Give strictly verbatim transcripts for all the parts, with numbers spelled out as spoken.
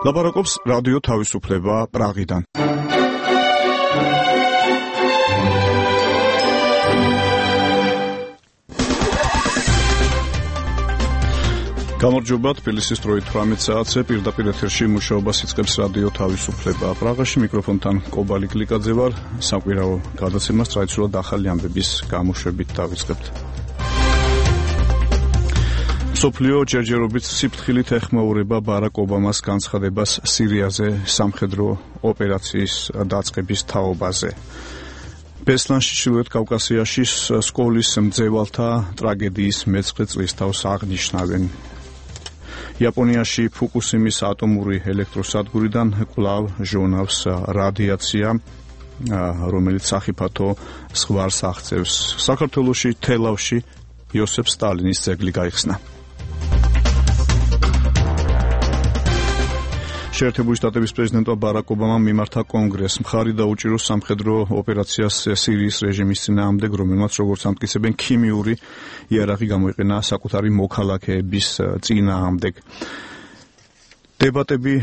ლაპარაკობს რადიო თავისუფლება პრაღიდან. გამარჯობა, თბილისის დროით თვრამეტ საათზე პირდაპირ ეთერში მუშაობას იწყებს რადიო თავისუფლება პრაღაში. მიკროფონთან კობალი გლიკაძე ვარ. საკვირაო გადაცემას ტრადიციულად ახალი ამბების გამოშვებით დავიწყებთ. სოფლიო ჯერჯერობით სიფრთხილით ეხმაურება ბარაკ ობამას განცხადებას სირიაზე სამხედრო ოპერაციის დაწყების თაობაზე. ბესლანში, ჩრდილოეთ კავკასიაში სკოლის მძევალთა ტრაგედიის მეცხრე წლისთავს აღნიშნავენ. იაპონიაში ფუკუსიმის ატომური ელექტროსადგურიდან კვლავ ჟონავს რადიაცია, რომელიც სახიფათო ზღვარს აღწევს. საქართველოში თელავში იოსებ სტალინის ძეგლი გაიხსნა. შეერთებული შტატების პრეზიდენტმა ბარაკ ობამამ მიმართა კონგრესს მხარი დაუჭიროს სამხედრო ოპერაციას სირიის რეჟიმის წინააღმდეგ, რომელმაც, როგორც ამტკიცებენ, ქიმიური იარაღი გამოიყენა საკუთარი მოქალაქეების წინააღმდეგ. დებატები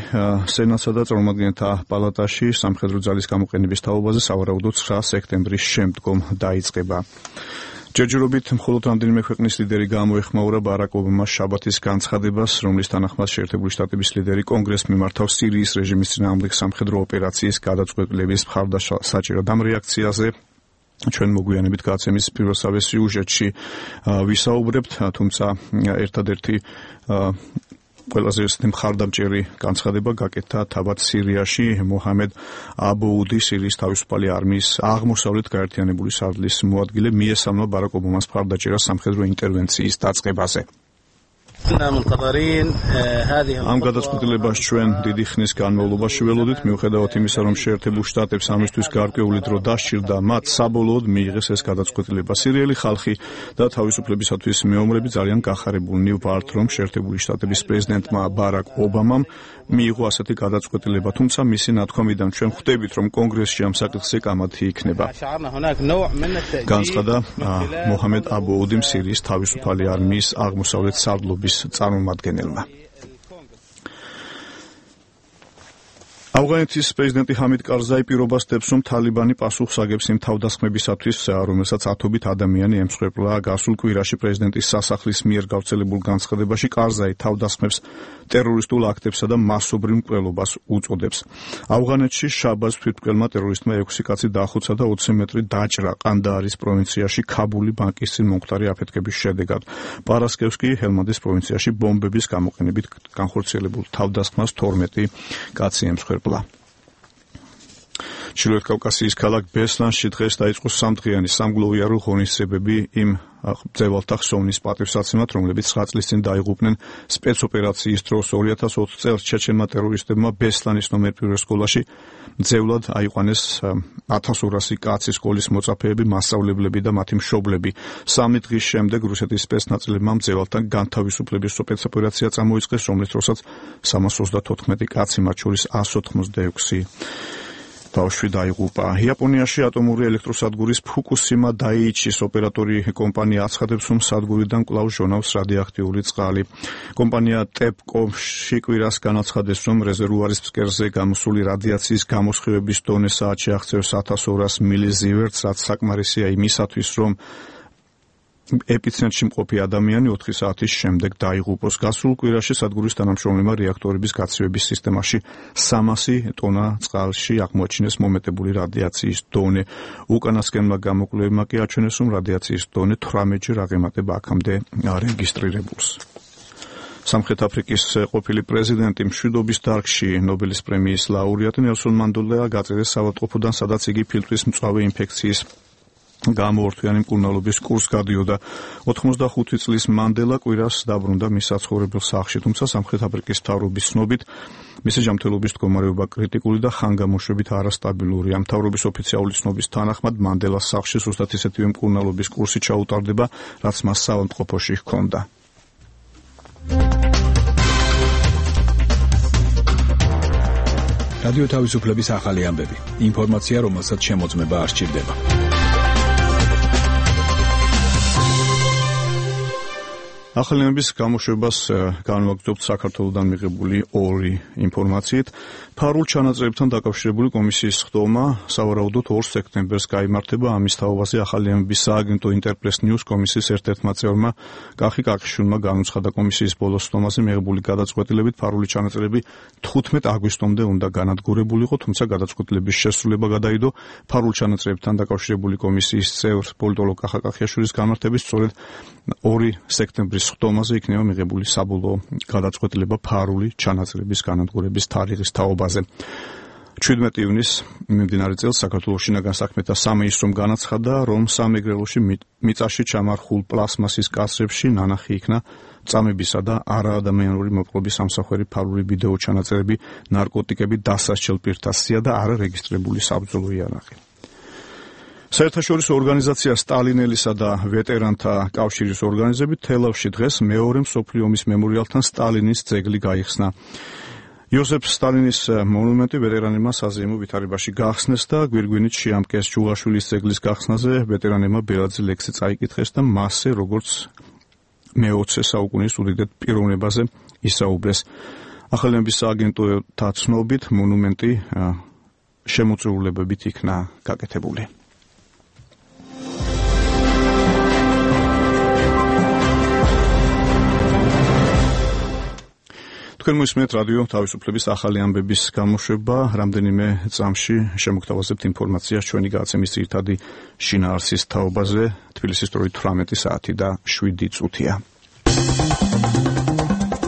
სენატსა და წარმომადგენელთა პალატაში სამხედრო ძალის გამოყენების თაობაზე სავარაუდოდ ცხრა სექტემბრის შემდგომ დაიწყება. ჯერჯერობით მხოლოდ რამდენიმე ქვეყნის ლიდერი გამოეხმაურა ბარაკ ობამას შაბათის განცხადებას, რომლის თანახმად შეერთებული შტატების ლიდერი კონგრესს მიმართავს სირიის რეჟიმის წინააღმდეგ სამხედრო ოპერაციის გადაწყვეტილების მხარდასაჭერად. ამ რეაქციაზე ჩვენ მოგვიანებით გადაცემის პირველსავე სიუჟეტში ვისაუბრებთ, თუმცა ერთადერთი ყველაზე მხარდამჭერი განცხადება გაკეთდა თავად სირიაში. მოჰამედ აბოუდი, სირიის თავისუფალი არმიის აღმოსავლეთ გაერთიანებული სარდლის მოადგილე, მიესალმა ბარაკ ობამას მხარდაჭერას სამხედრო ინტერვენციის დაწყებაზე. ამ გადაწყვეტილებას ჩვენ დიდი ხნის განმავლობაში ველოდით, მიუხედავად იმისა, რომ შეერთებულ შტატებს ამისთვის გარკვეული დრო დასჭირდა, მათ საბოლოოდ მიიღეს ეს გადაწყვეტილება. სირიელი ხალხი და თავისუფლებისათვის მეომრები ძალიან გახარებულნი ვართ, რომ შეერთებული შტატების პრეზიდენტმა ბარაკ ობამამ მიიღო ასეთი გადაწყვეტილება, თუმცა მისი ნათქვამიდან ჩვენ ხვდებით, რომ კონგრესში ამ საკითხზე კამათი იქნება. განცხადა მოჰამედ აბოუდიმ, სირიის თავისუფალი არმიის აღმოსავლეთ სარდლობის წარმომადგენელმა. ავღანეთის პრეზიდენტი ჰამიდ კარზაი პირობას დებს, რომ თალიბანი პასუხს აგებს იმ თავდასხმებისათვის, რომელსაც ათობით ადამიანი ემსხვერპლა. გასულ კვირაში პრეზიდენტის სასახლის მიერ გავრცელებულ განცხადებაში კარზაი თავდასხმებს ტერორისტულ აქტებსა და მასობრივ მკვლელობას უწოდებს. ავღანეთში შაბათს თვითმკვლელმა ტერორისტმა ექვსი კაცი დაახოცა და ოცი მეტრი დაჭრა ყანდაარის პროვინციაში ქაბული ბანკის წინ მომხდარი აფეთქების შედეგად. პარასკევს კი ჰელმანდის პროვინციაში ბომბების გამოყენებით განხორციელებულ თავდასხმას თორმეტი კაცი ემსხვერპლა. ჩრდილოეთ კავკასიის ქალაქ ბესლანში დღეს დაიწყო სამდღიანი სამგლოვიარო ღონისძიებები იმ მძევალთა ხსოვნის პატივსაცემად, რომლებიც ცხრა წლის წინ დაიღუპნენ სპეცოპერაციის დროს. ორი ათას ოთხ წელს ჩეჩენმა ტერორისტებმა ბესლანის ნომერ პირველ სკოლაში მძევლად აიყვანეს ათას ორასი კაცი, სკოლის მოწაფეები, მასწავლებლები და მათი მშობლები. სამი დღის შემდეგ რუსეთის სპეცნაწლებმა მძევალთან განთავისუფლების სპეცოპერაცია წამოიწყეს, რომლის დროსაც სამას ოცდათოთხმეტი კაცი, მათ შორის ასი ოცდაექვსი ბავშვი დაიღუპა. იაპონიაში ატომური ელექტროსადგურის ფუკუსიმა დაიჩის ოპერატორი კომპანია აცხადებს, რომ სადგურიდან კვლავ ჟონავს რადიოაქტიული წყალი. კომპანია ტეპკომში კვირას განაცხადეს, რომ რეზერვუარის ფსკერზე გამოსული რადიაციის გამოსხივების დონე საათში აღწევს ათას ორას მილიზივერტს, რაც საკმარისია იმისათვის, რომ ეპიცენტრში მყოფი ადამიანი ოთხი საათის შემდეგ დაიღუპოს. გასულ კვირაში სადგურის თანამშრომლებმა რეაქტორების გაცივების სისტემაში სამასი ტონა წყალში აღმოაჩინეს მომეტებული რადიაციის დონე. უკანასკნელმა გამოკვლევებმა კი აჩვენეს, რომ რადიაციის დონე თვრამეტჯერ აღემატება აქამდე არეგისტრირებულს. სამხრეთ აფრიკის ყოფილი პრეზიდენტი, მშვიდობის დარგში ნობელის პრემიის ლაურეატი ნელსონ მანდელა გაწერეს საავადმყოფოდან, სადაც იგი ფილტვის მწვავე ინფექციის გამოორთვიანი მკურნალობის კურსს გადიოდა. ოთხმოცდახუთი წლის მანდელა კვირას დაბრუნდა მის საცხოვრებელ სახლში, თუმცა სამხრეთ აფრიკის მთავრობის ცნობით მისი ჯანმრთელობის მდგომარეობა კრიტიკული და ხანგამოშვებით არასტაბილურია. მთავრობის ოფიციალური ცნობის თანახმად მანდელას სახლში ზუსტად ისეთივე მკურნალობის კურსი ჩაუტარდება, რაც მას საავადმყოფოში ჰქონდა. რადიო თავისუფლების ახალი ამბები. ინფორმაცია, რომელსაც შემოწმება არ სჭირდება. ახალიანების გამოშვებას განვაგრძობთ საქართველოსთან მიღებული ორი ინფორმაციით. ფარულ ჩანაწერებთან დაკავშირებული კომისიის ხდომა სავარაუდოდ ორ სექტემბერს გაიმართება. ამის თაობაზე ახალიანების სააგენტო ინტერპრეს ნიუს კომისიის ერთ-ერთმა წევრმა კახი კახიშვილმა განუცხადა კომისიის ბოლოს ხდომაზე მიღებული გადაწყვეტილებით ფარული ჩანაწერები თხუთმეტ აგვისტომდე უნდა განადგურებულიყო, თუმცა გადაწყვეტილების შესრულება გადაიდო ფარულ ჩანაწერებთან დაკავშირებული კომისიის წევრ პოლიტოლოგ კახა კახიშვილის განმარტებით სწორედ ორი სექტემბრის ხდომაზე იქნება მიღებული საბოლოო გადაწყვეტილება ფარული ჩანაწერების განადგურების თარიღის თაობაზე. ჩვიდმეტი ივნისს მიმდინარე წელს საქართველოს შინაგან საქმეთა სამინისტრომ განაცხადა, რომ სამეგრელოში მიწაში ჩამარხულ პლასმასის კასრებში ნანახი იქნა წამებისა და არაადამიანური მოპყრობის სამსახვერი ფარული ვიდეო ჩანაწერები, ნარკოტიკები, დასასჯელ პირთა სია და არარეგისტრირებული საბრძოლო იარაღი. საერთაშორისო ორგანიზაცია სტალინელისა და ვეტერანთა კავშირის ორგანიზებით თელავში დღეს მეორე მსოფლიო ომის მემორიალთან სტალინის ძეგლი გაიხსნა. იოსებ სტალინის მონუმენტი ვეტერანებმა საზეიმო ვითარებაში გახსნეს და გვირგვინით შეამკეს. ჯუღაშვილის ძეგლის გახსნაზე ვეტერანებმა ბელაძე ლექსი წაიკითხეს და მასზე როგორც მეოცე საუკუნის უდიდრ პიროვნებაზე ისაუბრეს. ახალიანების სააგენტოთა ცნობით მონუმენტი შემოწირულებებით იქნა გაკეთებული. თქვენ მოისმენთ რადიო თავისუფლების ახალი ამბების გამოშვება. რამდენიმე წამში შემოგთავაზებთ ინფორმაციას ჩვენი გადაცემის ძირითადი შინაარსის თაობაზე. თბილისის დროით თვრამეტი საათი და შვიდი წუთია.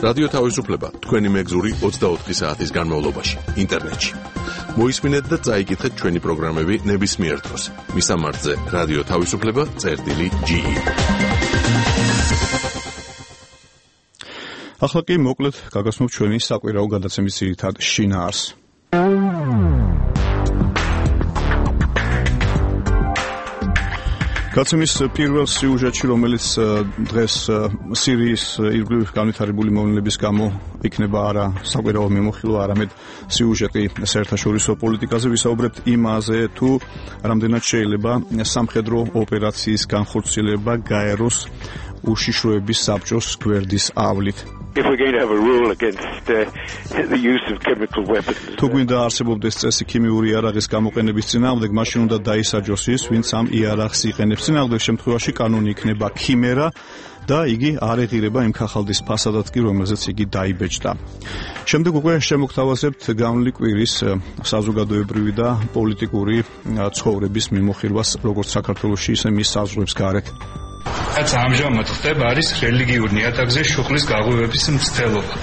რადიო თავისუფლება თქვენი მეგზური ოცდაოთხი საათის განმავლობაში ინტერნეტში. მოისმინეთ და წაიკითხეთ ჩვენი პროგრამები ნებისმიერ დროს. მისამართზე რადიო თავისუფლება წერტილი ჯი ი. ახლა კი მოკლედ გაგაცნობთ ჩვენი საკვირაო გადაცემის ძირითად შინაარსს. გადაცემის პირველ სიუჟეტში, რომელიც დღეს სირიის ირგვლივ განვითარებული მოვლენების გამო იქნება არა საკვირაო მიმოხილვა, არამედ სიუჟეტი საერთაშორისო პოლიტიკაზე, ვისაუბრებთ იმაზე, თუ რამდენად შეიძლება სამხედრო ოპერაციის განხორციელება გაეროს უშიშროების საბჭოს გვერდის ავლით. If we're going to have a rule against uh, the use of chemical weapons. თუ გვინდა არსებობდეს წესი ქიმიური იარაღის გამოყენების წინააღმდეგ, მაშინ უნდა დაისაჯოს ის, ვინც ამ იარაღს იყენებს. წინააღმდეგ შემთხვევაში კანონი იქნება ქიმერა და იგი არ ეღირება იმ ქაღალდის ფასადად კი, რომელზეც იგი დაიბეჭდა. შემდეგ უკვე შემოგთავაზებთ გამლი კვირის საზოგადოებრივი და პოლიტიკური ცხოვრების მიმოხილვას, როგორც საქართველოში, ისე მის საზღვრებს გარეთ. რაც ამჟამად ხდება, არის რელიგიურ ნიადაგზე შუქლის გაღვივების მცდელობა.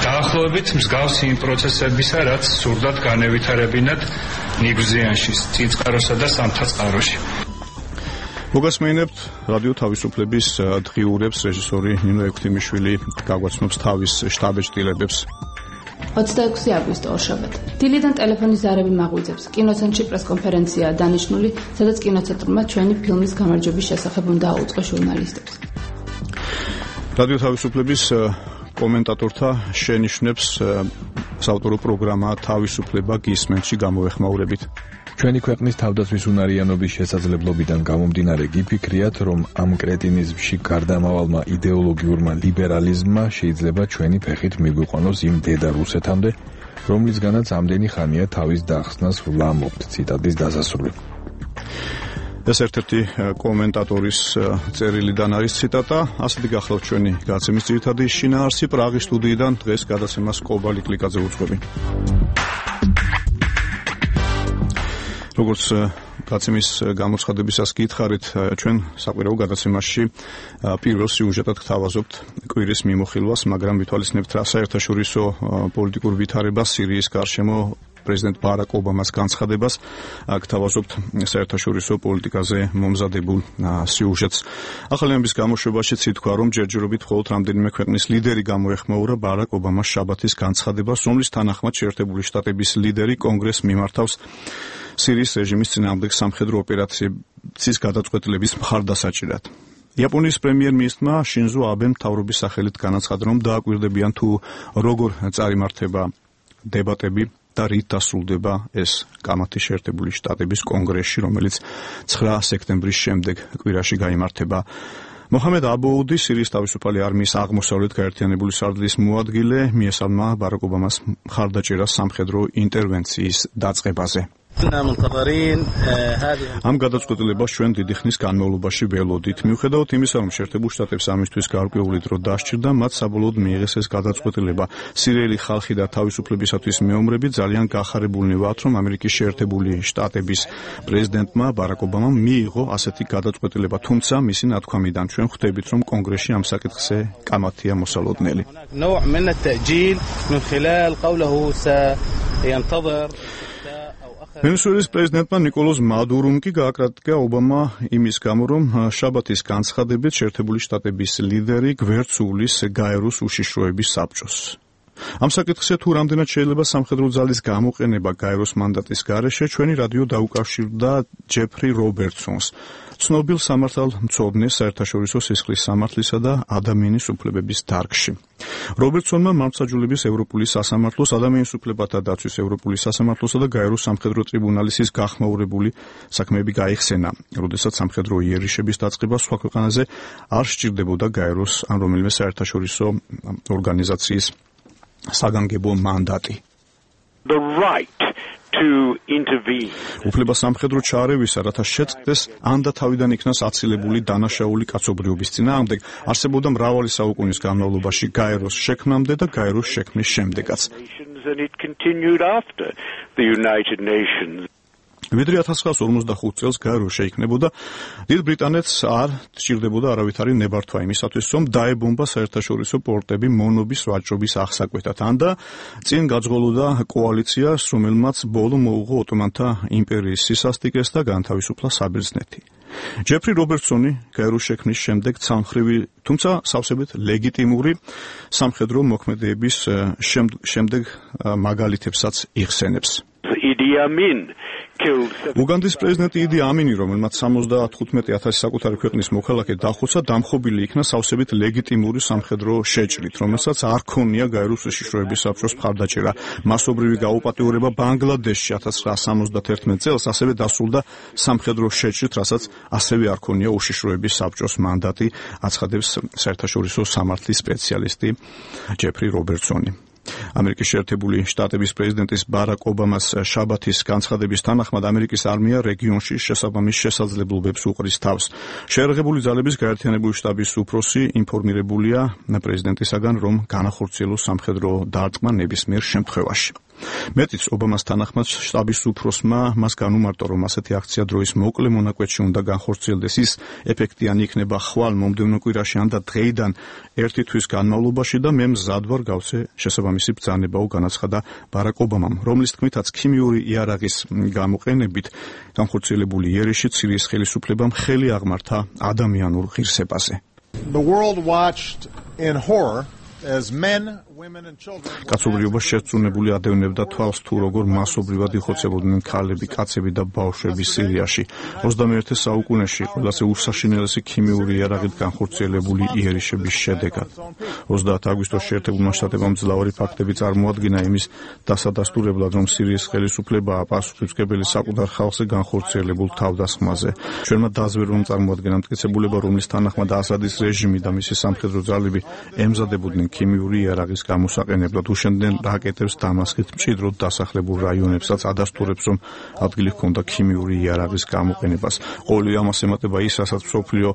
დაახლოებით მსგავსი იმ პროცესებისა, რაც სურდათ განევითარებინათ ნიგვზიანში, წინწყაროსა და სამთაწყაროში. მოგასმენებთ რადიო თავისუფლების დღიურებს, რეჟისორი ნინო ექვთიმიშვილი გაგვაცნობს თავის შტაბ-ეჭდილებებს. ოცდაექვსი აგვისტო ორშაბათი. დილიდან ტელეფონის ზარები მაღვიძებს. კინოცენტრში პრესკონფერენციაა დანიშნული, სადაც კინოცენტრმა ჩვენი ფილმის გამარჯვების შესახებ უნდა აუწყოს ჟურნალისტებს. რადიო თავისუფლების კომენტატორთა შენიშვნებს საავტორო პროგრამა თავისუფლება გისმენთში გამოვეხმაურებით. ჩვენი ქვეყნის თავდაცვის უნარიანობის შესაძლებლობიდან გამომდინარე გიფიქრიათ, რომ ამ კრეტინიზმში გარდამავალმა იდეოლოგიურმა ლიბერალიზმმა შეიძლება ჩვენი ფეხით მიგვიყვანოს იმ დედა რუსეთამდე, რომლისგანაც ამდენი ხანია თავის დახსნას ვლამობთ. ციტატის დასასრული. ეს ერთ-ერთი კომენტატორის წერილიდან არის ციტატა. ასეთი გახლავთ ჩვენი გადაცემის ძირითადი შინაარსი. პრაღის სტუდიიდან დღეს გადაცემას კობალი კლიკაძე უძღვები. როგორც გადაცემის გამოცხადებისას გითხარით, ჩვენ საკვირაო გადაცემაში პირველ სიუჟეტად გთავაზობთ კვირის მიმოხილვას, მაგრამ ვითვალისწინებთ რა საერთაშორისო პოლიტიკურ ვითარებას სირიის გარშემო პრეზიდენტ ბარაკ ობამას განცხადებას, გთავაზობთ საერთაშორისო პოლიტიკაზე მომზადებულ სიუჟეტს. ახალიანების გამოშვებაშიც ითქვა, რომ ჯერჯერობით მხოლოდ რამდენიმე ქვეყნის ლიდერი გამოეხმაურა ბარაკ ობამას შაბათის განცხადებას, რომლის თანახმად შეერთებული შტატების ლიდერი კონგრესს მიმართავს სირიის რეჟიმის წინააღმდეგ სამხედრო ოპერაციის გადაწყვეტილების მხარდასაჭერად. იაპონიის პრემიერ-მინისტრმა შინზო აბემ მთავრობის სახელით განაცხადა, რომ დააკვირდებიან თუ როგორ წარიმართება დებატები და რით დასრულდება ეს კამათი შეერთებული შტატების კონგრესში, რომელიც ცხრა სექტემბრის შემდეგ კვირაში გაიმართება. მოჰამედ აბოუდი, სირიის თავისუფალი არმიის აღმოსავლეთ გაერთიანებული სარდლის მოადგილე, მიესალმა ბარაკ ობამას მხარდაჭერას სამხედრო ინტერვენციის დაწყებაზე. ამ გადაწყვეტილებას ჩვენ დიდი ხნის განმავლობაში ველოდით. მიუხედავად იმისა, რომ შეერთებულ შტატებს ამისთვის გარკვეული დრო დასჭირდა, მათ საბოლოოდ მიიღეს ეს გადაწყვეტილება. სირიელი ხალხი და თავისუფლებისათვის მეომრები ძალიან გახარებულნი ვართ, რომ ამერიკის შეერთებული შტატების პრეზიდენტმა ბარაკ ობამამ მიიღო ასეთი გადაწყვეტილება, თუმცა მისი ნათქვამიდან ჩვენ ხვდებით, რომ კონგრესში ამ საკითხზე კამათია მოსალოდნელი. ვენესუელის პრეზიდენტმა ნიკოლას მადურომ კი გააკრიტიკა ობამა იმის გამო, რომ შაბათის განცხადებით შეერთებული შტატების ლიდერი გვერდს უვლის გაეროს უშიშროების საბჭოს. ამ საკითხზე თუ რამდენად შეიძლება სამხედრო ძალის გამოყენება გაეროს მანდატის გარეშე, ჩვენი რადიო დაუკავშირდა ჯეფრი რობერტსონს, ცნობილ სამართალმცოდნეს საერთაშორისო სისხლის სამართლისა და ადამიანის უფლებების დარგში. რობერტსონმა მართლმსაჯულების ევროპული სასამართლოს, ადამიანის უფლებათა დაცვის ევროპული სასამართლოსა და გაეროს სამხედრო ტრიბუნალის გახმაურებული საქმეები გაიხსენა, როდესაც სამხედრო იერიშების დაწყება სხვა ქვეყანაზე არ სჭირდებოდა გაეროს ან რომელიმე საერთაშორისო ორგანიზაციის საგანგებო მანდატი. The right to intervene. უფლება სამხედრო ჩაარევისა, რათა შეწყდეს ან და თავიდან იქნას აცილებული დანაშაული კაცობრიობის წინააღმდეგ, არსებობდა მრავალი საუკუნის განმავლობაში გაეროს შექმნამდე და გაეროს შექმნის შემდეგაც. And it continued after the United Nations. ვიდრე ათას ცხრაას ორმოცდახუთ წელს გაერო შეიქმნებოდა, დიდ ბრიტანეთს არ სჭირდებოდა არავითარი ნებართვა იმისათვის, რომ დაებომბა საერთაშორისო პორტები მონობის ვაჭრობის აღსაკვეთად, ან და წინ გაძღოლოდა კოალიციას, რომელმაც ბოლო მოუღო ოტომანთა იმპერიის სისასტიკეს და განთავისუფლა საბერძნეთი. ჯეფრი რობერტსონი გაეროს შექმნის შემდეგ ცალმხრივი, თუმცა სავსებით ლეგიტიმური სამხედრო მოქმედების შემდეგ მაგალითებსაც იხსენებს. Idi Amin უგანდის პრეზიდენტი იდი ამინი, რომელმაც სამოცდათხუთმეტი ათასი საკუთარი ქვეყნის მოქალაქე დახოცა, დამხობილი იქნა სავსებით ლეგიტიმური სამხედრო შეჭრით, რომელსაც არ ქონია გაეროს უშიშროების საბჭოს მხარდაჭერა. მასობრივი გაუპატიურება ბანგლადეშში ათას ცხრაას სამოცდათერთმეტ წელს ასევე დასრულდა სამხედრო შეჭრით, რასაც ასევე არ ქონია უშიშროების საბჭოს მანდატი, აცხადებს საერთაშორისო სამართლის სპეციალისტი ჯეფრი რობერტსონი. ამერიკის შეერთებული შტატების პრეზიდენტის ბარაკ ობამას შაბათის განცხადების თანახმად ამერიკის არმია რეგიონში შესაბამის შესაძლებლობებს უყრის თავს. შეერაღებული ძალების გაერთიანებული შტაბის უფროსი ინფორმირებულია პრეზიდენტისაგან, რომ განახორციელოს სამხედრო დარტყმა ნებისმიერ შემთხვევაში. მეტიც, ობამას თანახმად შტაბის უფროსმა მას განუმარტო, რომ ასეთი აქცია დროის მოკლე მონაკვეთში უნდა განხორციელდეს, ის ეფექტიანი იქნება ხვალ მომდევნო კვირაში ან და დღეიდან ერთი თვის განმავლობაში და მე მზად ვარ გავცე შესაბამისი ბრძანებაო, განაცხადა ბარაკ ობამამ, რომლის თქმითაც ქიმიური იარაღის გამოყენებით განხორციელებული იერიში სირიის ხელისუფლებამ ხელი აღმართა ადამიანურ ღირსებაზე. The world watched in horror as men, women and children. კაცობრიობა შერწუნებული ადევნებდა თვალს თუ როგორ მასობრივად იხოცებოდნენ ქალები, კაცები და ბავშვები სირიაში. ოცდამეერთე საუკუნეში ყველაზე უსაშინელესი ქიმიური იარაღით განხორციელებული იერიშების შედეგად. ოცდაათი აგვისტოს შეერთებულმა შტატებმა მძლავრი ფაქტები წარმოადგინა იმის დასადასტურებლად, რომ სირიის ხელისუფლებაა პასუხისმგებელი საკუთარ ხალხზე განხორციელებულ თავდასხმაზე. ჩვენმა დაზვერვამ წარმოადგენა მტკიცებულება, რომლის თანახმად ასადის რეჟიმი და მისი სამხედრო ძალები ემზადებოდნენ ქიმიური იარაღის გამოსაყენებლად, უშენდნენ რაკეტებს დამასკით მჭიდროდ დასახლებულ რაიონებსაც, ადასტურებს, რომ ადგილი ჰქონდა ქიმიური იარაღის გამოყენებას. ყოველი ამას ემატება ის, რასაც მსოფლიო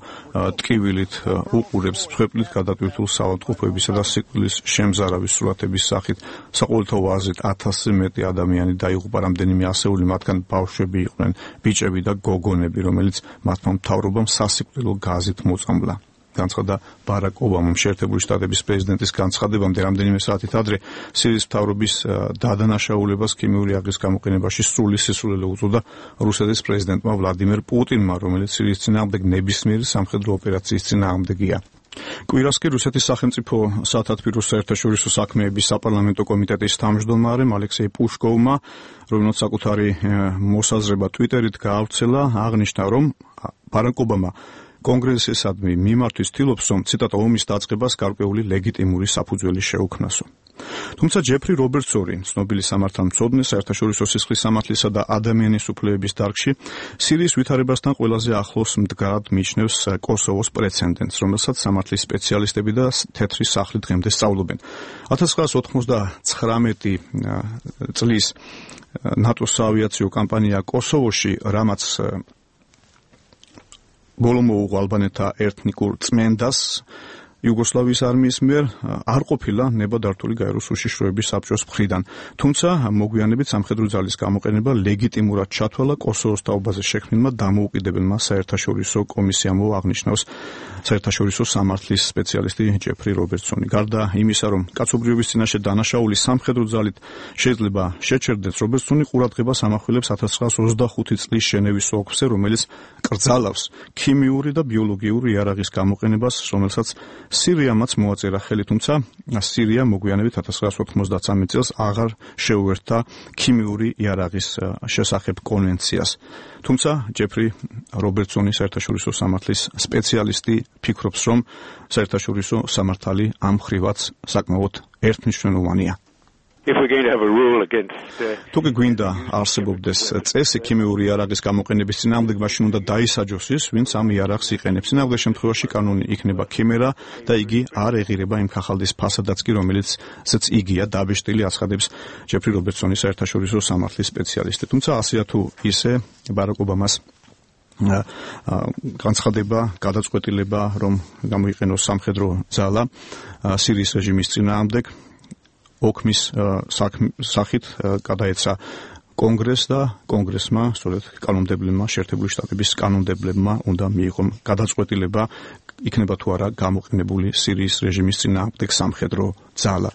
ტკივილით უყურებს მსხვერპლით გადატვირთულ საავადმყოფოებისა და სიკვდილის შემზარავის სურათების სახით. საყოველთაო აზრით ათასზე მეტი ადამიანი დაიღუპა, რამდენიმე ასეული მათგან ბავშვები იყვნენ, ბიჭები და გოგონები, რომელიც მათმა მთავრობამ სასიკვდილო გაზით მოწამლა. განცხადა ბარაკ ობამამ. შეერთებული შტატების პრეზიდენტის განცხადებამდე რამდენიმე საათით ადრე სირიის მთავრობის დადანაშაულებას ქიმიური იარაღის გამოყენებაში სრული სისულელე უწოდა რუსეთის პრეზიდენტმა ვლადიმერ პუტინმა, რომელიც სირიის წინააღმდეგ ნებისმიერი სამხედრო ოპერაციის წინააღმდეგია. კვირას კი რუსეთის სახელმწიფო სათათბიროს საერთაშორისო საქმეების საპარლამენტო კომიტეტის თავმჯდომარემ ალექსეი პუშკოვმა, რომელსაც საკუთარი მოსაზრება ტვიტერით გაავრცელა, აღნიშნა, რომ ბარაკ ობამა კონგრესისადმი მიმართვის ცდილობს, რომ ციტატა ომის დაწყებას გარკვეული ლეგიტიმური საფუძველი შეუქმნასო. თუმცა ჯეფრი რობერტსონი, ცნობილი სამართალმცოდნე, საერთაშორისო სისხლის სამართლისა და ადამიანის უფლებების დარგში, სირიის ვითარებასთან ყველაზე ახლოს მდგრად მიიჩნევს კოსოვოს პრეცედენტს, რომელსაც სამართლის სპეციალისტები და თეთრი სახლი დღემდე სწავლობენ. ათას ცხრაას ოთხმოცდაცხრამეტი წლის ნატოს საავიაციო კამპანია კოსოვოში, რამაც ბოლო მოუღო ალბანელთა ეთნიკურ წმენდას იუგოსლავიის არმიის მიერ, არ ყოფილა ნებადართული გაეროს უშიშროების საბჭოს მხრიდან. თუმცა მოგვიანებით სამხედრო ძალის გამოყენება ლეგიტიმურად ჩათვალა კოსოვოს თაობაზე შექმნილმა დამოუკიდებელმა საერთაშორისო კომისიამ, აღნიშნავს საერთაშორისო სამართლის სპეციალისტი ჯეფრი რობერტსონი. გარდა იმისა, რომ კაცობრიობის წინაშე დანაშაული სამხედრო ძალით შეიძლება შეჩერდეს, რობერტსონი ყურადღებას ამახვილებს ათას ცხრაას ოცდახუთი წლის ჟენევის ოლქზე, რომელიც კრძალავს ქიმიური და ბიოლოგიური იარაღის გამოყენებას, რომელსაც სირიამაც მოაწერა ხელი, თუმცა სირია მოგვიანებით ათას ცხრაას ოთხმოცდათსამეტ წელს აღარ შეუერთდა ქიმიური იარაღის შესახებ კონვენციას. თუმცა ჯეფრი რობერტსონი, საერთაშორისო სამართლის სპეციალისტი, ფიქრობს, რომ საერთაშორისო სამართალი ამ მხრივაც საკმაოდ ერთმნიშვნელოვანია. If we're going to have a rule against uh, თუ კი გვინდა არსებობდეს წესი ქიმიური იარაღის გამოყენების წინააღმდეგ, მაშინ უნდა დაისაჯოს ის, ვინც ამ იარაღს იყენებს. წინააღმდეგ შემთხვევაში კანონი იქნება ქიმერა და იგი არ ეღირება იმ ქაღალდის ფასადაც კი, რომელიცაც იგია დაბეჭდილი, აცხადებს ჯეფრი რობერტსონი, საერთაშორისო სამართლის სპეციალისტი. თუმცა ასეა თუ ისე ბარაკ ობამას განცხადება, გადაწყვეტილება, რომ გამოიყენოს სამხედრო ძალა სირიის რეჟიმის წინააღმდეგ, ოქმის სახით გადაეცა კონგრესს და კონგრესმა, სწორედ კანონმდებლებმა, შეერთებული შტატების კანონმდებლებმა უნდა მიიღონ გადაწყვეტილება, იქნება თუ არა გამოყენებული სირიის რეჟიმის წინააღმდეგ სამხედრო ძალა.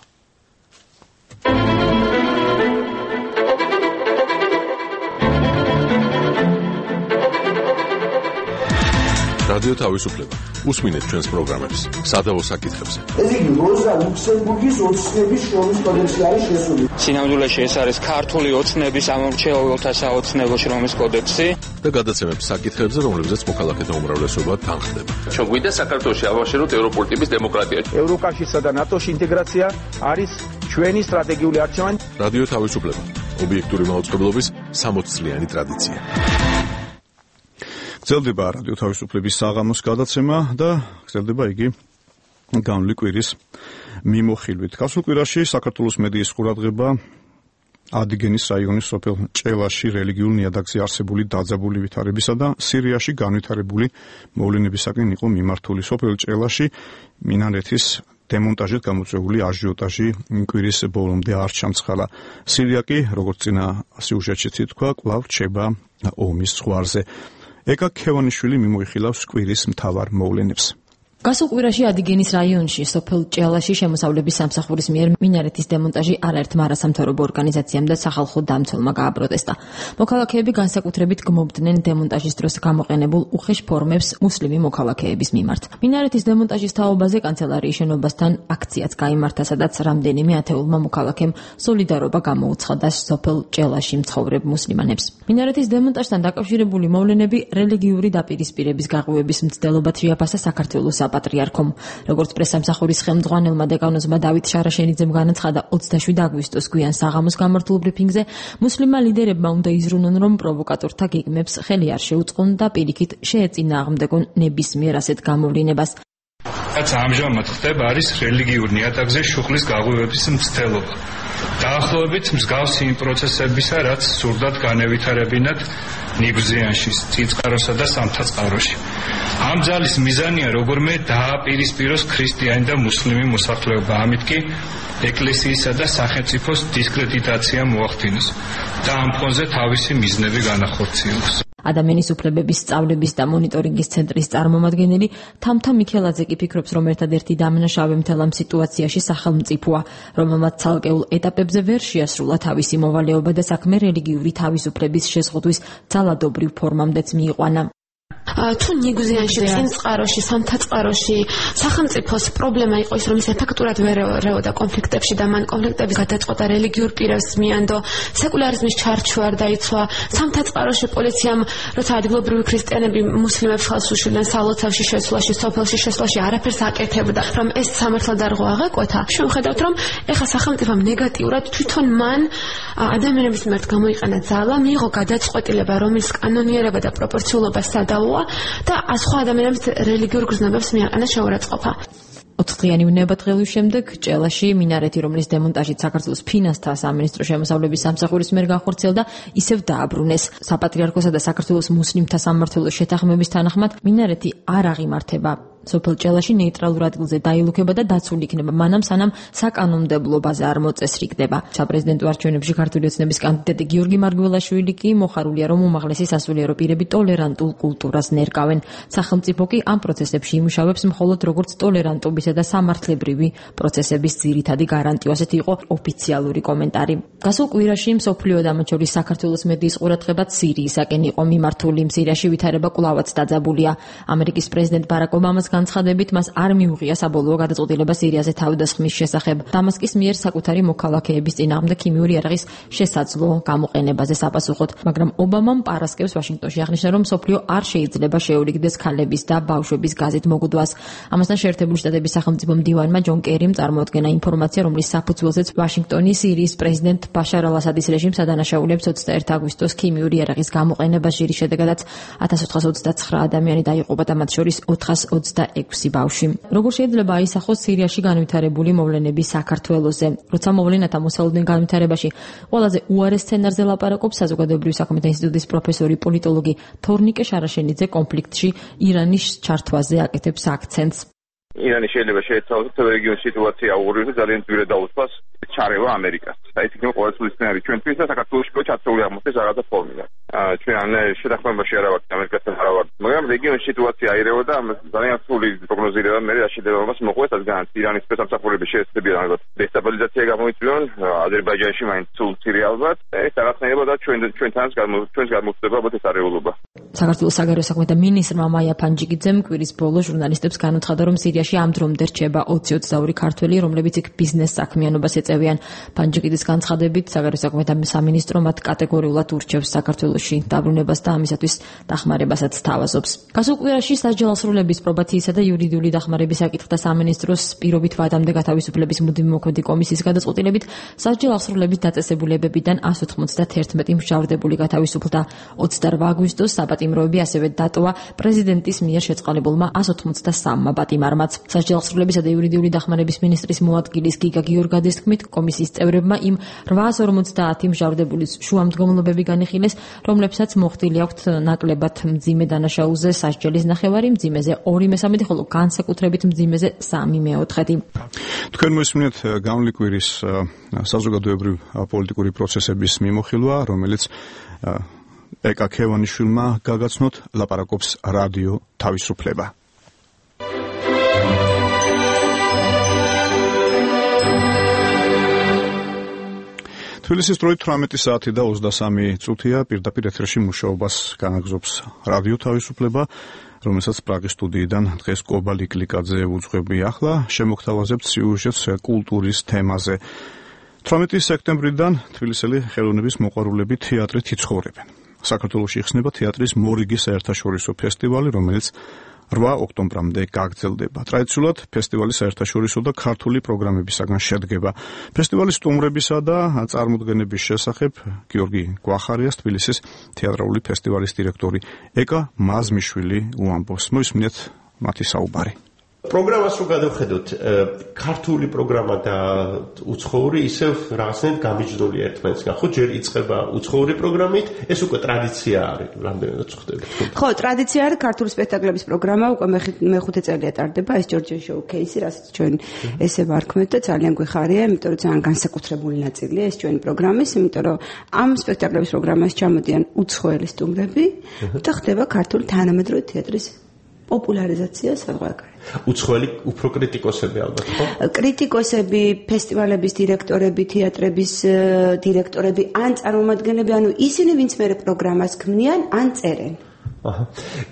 რადიო თავისუფლება. უსმინეთ ჩვენს პროგრამებს სადავო საკითხებზე. ეს იგი როზა ლუქსემბურგის ოცნების შრომის კოდექსი არის შესული. სინამდვილეში ეს არის ქართული ოცნების ამორჩეულთა საოცნებო შრომის კოდექსი და გადაცემებს საკითხებზე, რომლებზეც მოქალაქეთა უმრავლესობა თანხდება. ჩვენ გვინდა საქართველოში ავაშენოთ ევროპული ტიპის დემოკრატია. ევროკავშირსა და ნატოში ინტეგრაცია არის ჩვენი სტრატეგიული არჩევანი. რადიო თავისუფლება. ობიექტური მაუწყებლობის სამოც წლიანი ტრადიცია. გრძელდება რადიო თავისუფლების საღამოს გადაცემა და გრძელდება იგი განვლი კვირის მიმოხილვით. გასულ კვირაში საქართველოს მედიის ყურადღება ადიგენის რაიონის სოფელ ჭელაში რელიგიურ ნიადაგზე არსებული დაძაბული ვითარებისა და სირიაში განვითარებული მოვლენებისაკენ იყო მიმართული. სოფელ ჭელაში მინარეთის დემონტაჟით გამოწვეული აჟიოტაჟი კვირის ბოლომდე არ ჩამცხალა. სირია კი, როგორც წინა სიუჟეტში თქვა, კვლავ რჩება ომის ზღვარზე. ეკა ქევანიშვილი მიმოიხილავს კვირის მთავარ მოვლენებს. გასულ კვირაში ადიგენის რაიონში სოფელ ჭელაში შემოსავლების სამსახურის მიერ მინარეთის დემონტაჟი არაერთმა არასამთავრობო ორგანიზაციამ და სახალხო დამცველმა გააპროტესტა. მოქალაქეები განსაკუთრებით გმობდნენ დემონტაჟის დროს გამოყენებულ უხეშ ფორმებს მუსლიმი მოქალაქეების მიმართ. მინარეთის დემონტაჟის თაობაზე კანცელარიის შენობასთან აქციაც გაიმართა, სადაც რამდენიმე ათეულმა მოქალაქემ სოლიდარობა გამოუცხადა სოფელ ჭელაში მცხოვრებ მუსლიმანებს. მინარეთის დემონტაჟთან დაკავშირებული მოვლენები რელიგიური დაპირისპირების გაღვივების მცდელობად შეაფასა საქართველოს საპატრიარქომ. როგორც პრესამსახურის ხელმძღვანელმა დეკანოზმა დავით შარაშენიძემ განაცხადა, ოცდაშვიდ აგვისტოს გვიან საღამოს გამართულ ბრიფინგზე მუსლიმმა ლიდერებმა უნდა იზრუნონ, რომ პროვოკატორთა გეგმებს ხელი არ შეუწყონ და პირიქით შეეწინააღმდეგონ ნებისმიერ ასეთ გამოვლინებას. რაც ამჟამად ხდება, არის რელიგიურ ნიადაგზე შუხლის გაღვივების მცდელობა. დაახლოებით მსგავსი იმ პროცესებისა, რაც სურდათ განევითარებინათ ნიგზიანში, წიწკაროსა და სამთაწყაროში. ამ ძალის მიზანია როგორმე დააპირისპიროს ქრისტიანი და მუსლიმი მოსახლეობა, ამით კი ეკლესიისა და სახელმწიფოს დისკრედიტაცია მოახდინოს და ამ ფონზე თავისი მიზნები განახორციელოს. ადამიანის უფლებების სწავლების და მონიტორინგის ცენტრის წარმომადგენელი თამთა მიქელაძე კი ფიქრობს, რომ ერთადერთი დამნაშავე მთელ ამ სიტუაციაში სახელმწიფოა, რომელმაც ცალკეულ ეტაპებზე ვერ შეასრულა თავისი მოვალეობა და საქმე რელიგიური თავისუფლების შეზღუდვის ძალადობრივ ფორმამდეც მიიყვანა. თუ ნიგუზიანში, წინწყაროში, სამთაწყაროში სახელმწიფოს პრობლემა იყო ის, რომ ის ეფექტურად ვერ ერეოდა კონფლიქტებში და მან კონფლიქტების გადაწყვეტა რელიგიურ პირებს მიანდო, სეკულარიზმის ჩარჩო არ დაიცვა, სამთაწყაროში პოლიციამ, როცა ადგილობრივი ქრისტიანები მუსლიმებს ხელს უშლიდნენ სალოცავში შესვლაში, სოფელში შესვლაში არაფერს აკეთებდა, რომ ეს სამართლად არ აღეკვეთა. შევხედავთ, რომ ეხლა სახელმწიფომ ნეგატიურად თვითონ მან ადამიანების მიმართ გამოიყენა ძალა, მიიღო გადაწყვეტილება, რომელიც კანონიერება და პროპორციულობა სადავოა და სხვა ადამიანების რელიგიურ გრძნობებს მიაყენა შეურაცხყოფა. ოთხდღიანი უნებათღევის შემდეგ ჭელაში მინარეთი, რომლის დემონტაჟით საქართველოს ფინანსთა სამინისტრო შემოსავლების სამსახურის მიერ განხორციელდა, ისევ დააბრუნეს. საპატრიარქოსა და საქართველოს მუსლიმთა სამმართველოს შეთანხმების თანახმად მინარეთი არ აღიმართება. სოფელ ჭელაში ნეიტრალურ ადგილზე დაილუქება და დაცული იქნება, მანამ სანამ საკანონმდებლობაზე არ მოწესრიგდება. საპრეზიდენტო არჩევნებში ქართული ოცნების კანდიდატი გიორგი მარგველაშვილი კი მოხარულია, რომ უმაღლესი სასულიერო პირები ტოლერანტულ კულტურას ნერგავენ. სახელმწიფო კი ამ პროცესებში იმუშავებს მხოლოდ როგორც ტოლერანტობისა და სამართლებრივი პროცესების ძირითადი გარანტია. ასეთი იყო ოფიციალური კომენტარი. გასულ კვირაში მსოფლიო და მათ შორის საქართველოს მედიის ყურადღებაც სირიისაკენ იყო მიმართული. სირიაში ვითარება კვლავაც დაძაბულია. ამერიკის პრეზიდენტ ბარაკ ობამას განცხადებით მას არ მიუღია საბოლოო გადაწყვეტილება სირიაზე თავდასხმის შესახებ. დამასკის მიერ საკუთარი მოქალაქეების წინააღმდეგ ქიმიური იარაღის შესაძლო გამოყენებაზე საპასუხოდ, მაგრამ ობამამ პარასკევს ვაშინგტონში აღნიშნა, რომ მსოფლიო არ შეიძლება შეურიგდეს ქალების და ბავშვების გაზით მოგდვას. ამასთან შეერთებული შტატების სახელმწიფო მდივანმა ჯონ კერიმ წარმოადგენა ინფორმაცია, რომლის საფუძველზეც ვაშინგტონი სირიის პრეზიდენტ ბაშარ ალ-ასადის რეჟიმს ადანაშაულებს ოცდაერთი აგვისტოს ქიმიური იარაღის გამოყენებას, ჟირის შედეგადაც ათას ოთხას ოცდაცხრა ადამიანი დაიღუპა და მათ შორის ოთხას ოცდაექვსი ბავშვი. როგორ შეიძლება აისახოს სირიაში განვითარებული მოვლენები საქართველოზე? როცა მოვლენათა მოსალოდნელ განვითარებაში ყველაზე უარეს სცენარზე ლაპარაკობს საზოგადოებრივი საქმეთა ინსტიტუტის პროფესორი პოლიტოლოგი თორნიკე შარაშენიძე, კონფლიქტში ირანის ჩართვაზე აკეთებს აქცენტს. ირანი შეიძლება შეეცვალოს თელ რეგიონის სიტუაცია აუღუროს და ძალიან ძვირად დაუწყოს ჩარევა ამერიკას. და ეს იქნება ყოველწლიური სცენარი ჩვენთვის და საქართველოში ჩართული აღმოჩნდეს რაღაცა ფორმიდან. ჩვენ შეთანხმებაში არ ვართ ამერიკასთან არ ვართ, მაგრამ რეგიონის სიტუაცია აირევა და ძალიან სრული პროგნოზირება მე რაშიდებას მოყვეს ასგანაც ირანის სპეცსამსახურების შეესწებიან ალბათ დესტაბილიზაცია გამოიწვიონ აზერბაიჯანში მაინც სულ მცირე ალბათ ეს რაღაცნაირად და ჩვენ ჩვენთანაც ჩვენს გამოწვდება ალბათ ეს არეულობა. საქართველოს საგარეო საქმეთა მინისტრმა მაია ფანჯიკიძემ კვირის ბოლოს ჟურნალისტებს განუცხადა, რომ სირიაში ამ დრომდე რჩება ოცი ოცდაორი ქართველი, რომლებიც იქ ბიზნეს საქმიანობას ეწევიან. ფანჯიკიძის განცხადებით საგარეო საქმეთა სამინისტრო მათ კატეგორიულად ურჩევს საქართველოში დაბრუნებას და ამისათვის დახმარებასაც თავაზობს. გასულ კვირაში სასჯელსრულების პრობაციისა და იურიდიული დახმარების საკითხთა სამინისტროს პირობით ვადამდე გათავისუფლების მუდმივი მოქმედი კომისიის გადაწყვეტილებით სასჯელსრულების დაწესებულებებიდან ასი ოცდაათი მსჯავრდებული გათავისუფლდა. ოცდაორმა აგვისტოს საპატიმროები ასევე დატოვა პრეზიდენტის მიერ შეწყალებულმა ასი ოცდასამმა პატიმარმაც. სასჯელსრულებისა და იურიდიული დახმარების მინისტრის მოადგილის გიგა გიორგაძის თქმით, კომისიის წევრებმა იმ რვაას ორმოცდაათი მსჯავრდებულის შუამდგომლობები განიხილეს, რომლებსაც მოხდილი აქვთ ნაკლებად მძიმე დანაშაულზე სასჯელის ნახევარი, მძიმეზე ორი მესამედი, ხოლო განსაკუთრებით მძიმეზე სამი მეოთხედი. თქვენ მოისმინეთ გამლი კვირის საზოგადოებრივი პოლიტიკური პროცესების მიმოხილვა, რომელიც ეკა ქევანიშვილმა გაგაცნოთ, ლაპარაკობს რადიო თავისუფლება. თბილისის დროით თვრამეტი საათი და ოცდასამი წუთია პირდაპირ ეთერში მუშაობას განაგრძობს რადიო თავისუფლება, რომელსაც პრაღის სტუდიიდან დღეს კობა ლიკლიკაძე უძღვები. ახლა შემოგთავაზებთ სიუჟეტს კულტურის თემაზე. თვრამეტი სექტემბრიდან თბილისელი ხელოვნების მოყვარულები თეატრით იცხოვრებენ. საქართველოში იხსნება თეატრის მორიგი საერთაშორისო ფესტივალი, რომელიც რვა ოქტომბრამდე გაგრძელდება. ტრადიციულად ფესტივალი საერთაშორისო და ქართული პროგრამებისაგან შედგება. ფესტივალის სტუმრებისა და წარმოდგენების შესახებ გიორგი გვახარიას, თბილისის თეატრალური ფესტივალის დირექტორი ეკა მაზმიშვილი უამბობს. მოისმინეთ მათი საუბარი. პროგრამას რო გადავხედოთ, ქართული პროგრამა და უცხოური ისევ რაღაცნაირად გამიჯნული ერთმანეთსგან. ხო, ჯერ იწყება უცხოური პროგრამით, ეს უკვე ტრადიცია არის, რამდენადაც ხდება. ხო, ტრადიცია არის ქართული სპექტაკლების პროგრამა, უკვე მეხუთე წელია ტარდება, ეს ჯორჯია შოუ კეისი, რასაც ჩვენ ესე ვარქმევთ და ძალიან გვიხარია, იმიტომ რომ ძალიან განსაკუთრებული ნაწილია ეს ჩვენი პროგრამის, იმიტომ რომ ამ სპექტაკლების პროგრამას ჩამოდიან უცხოელი სტუმრები და ხდება ქართული თანამედროვე თეატრის პოპულარიზაცია საზღვარგარეთ. უცხოელი უფრო კრიტიკოსები ალბათ, ხო? კრიტიკოსები, ფესტივალების დირექტორები, თეატრების დირექტორები, ან წარმომადგენლები, ანუ ისინი, ვინც მე პროგრამას ქმნიან, ან წერენ. აჰა.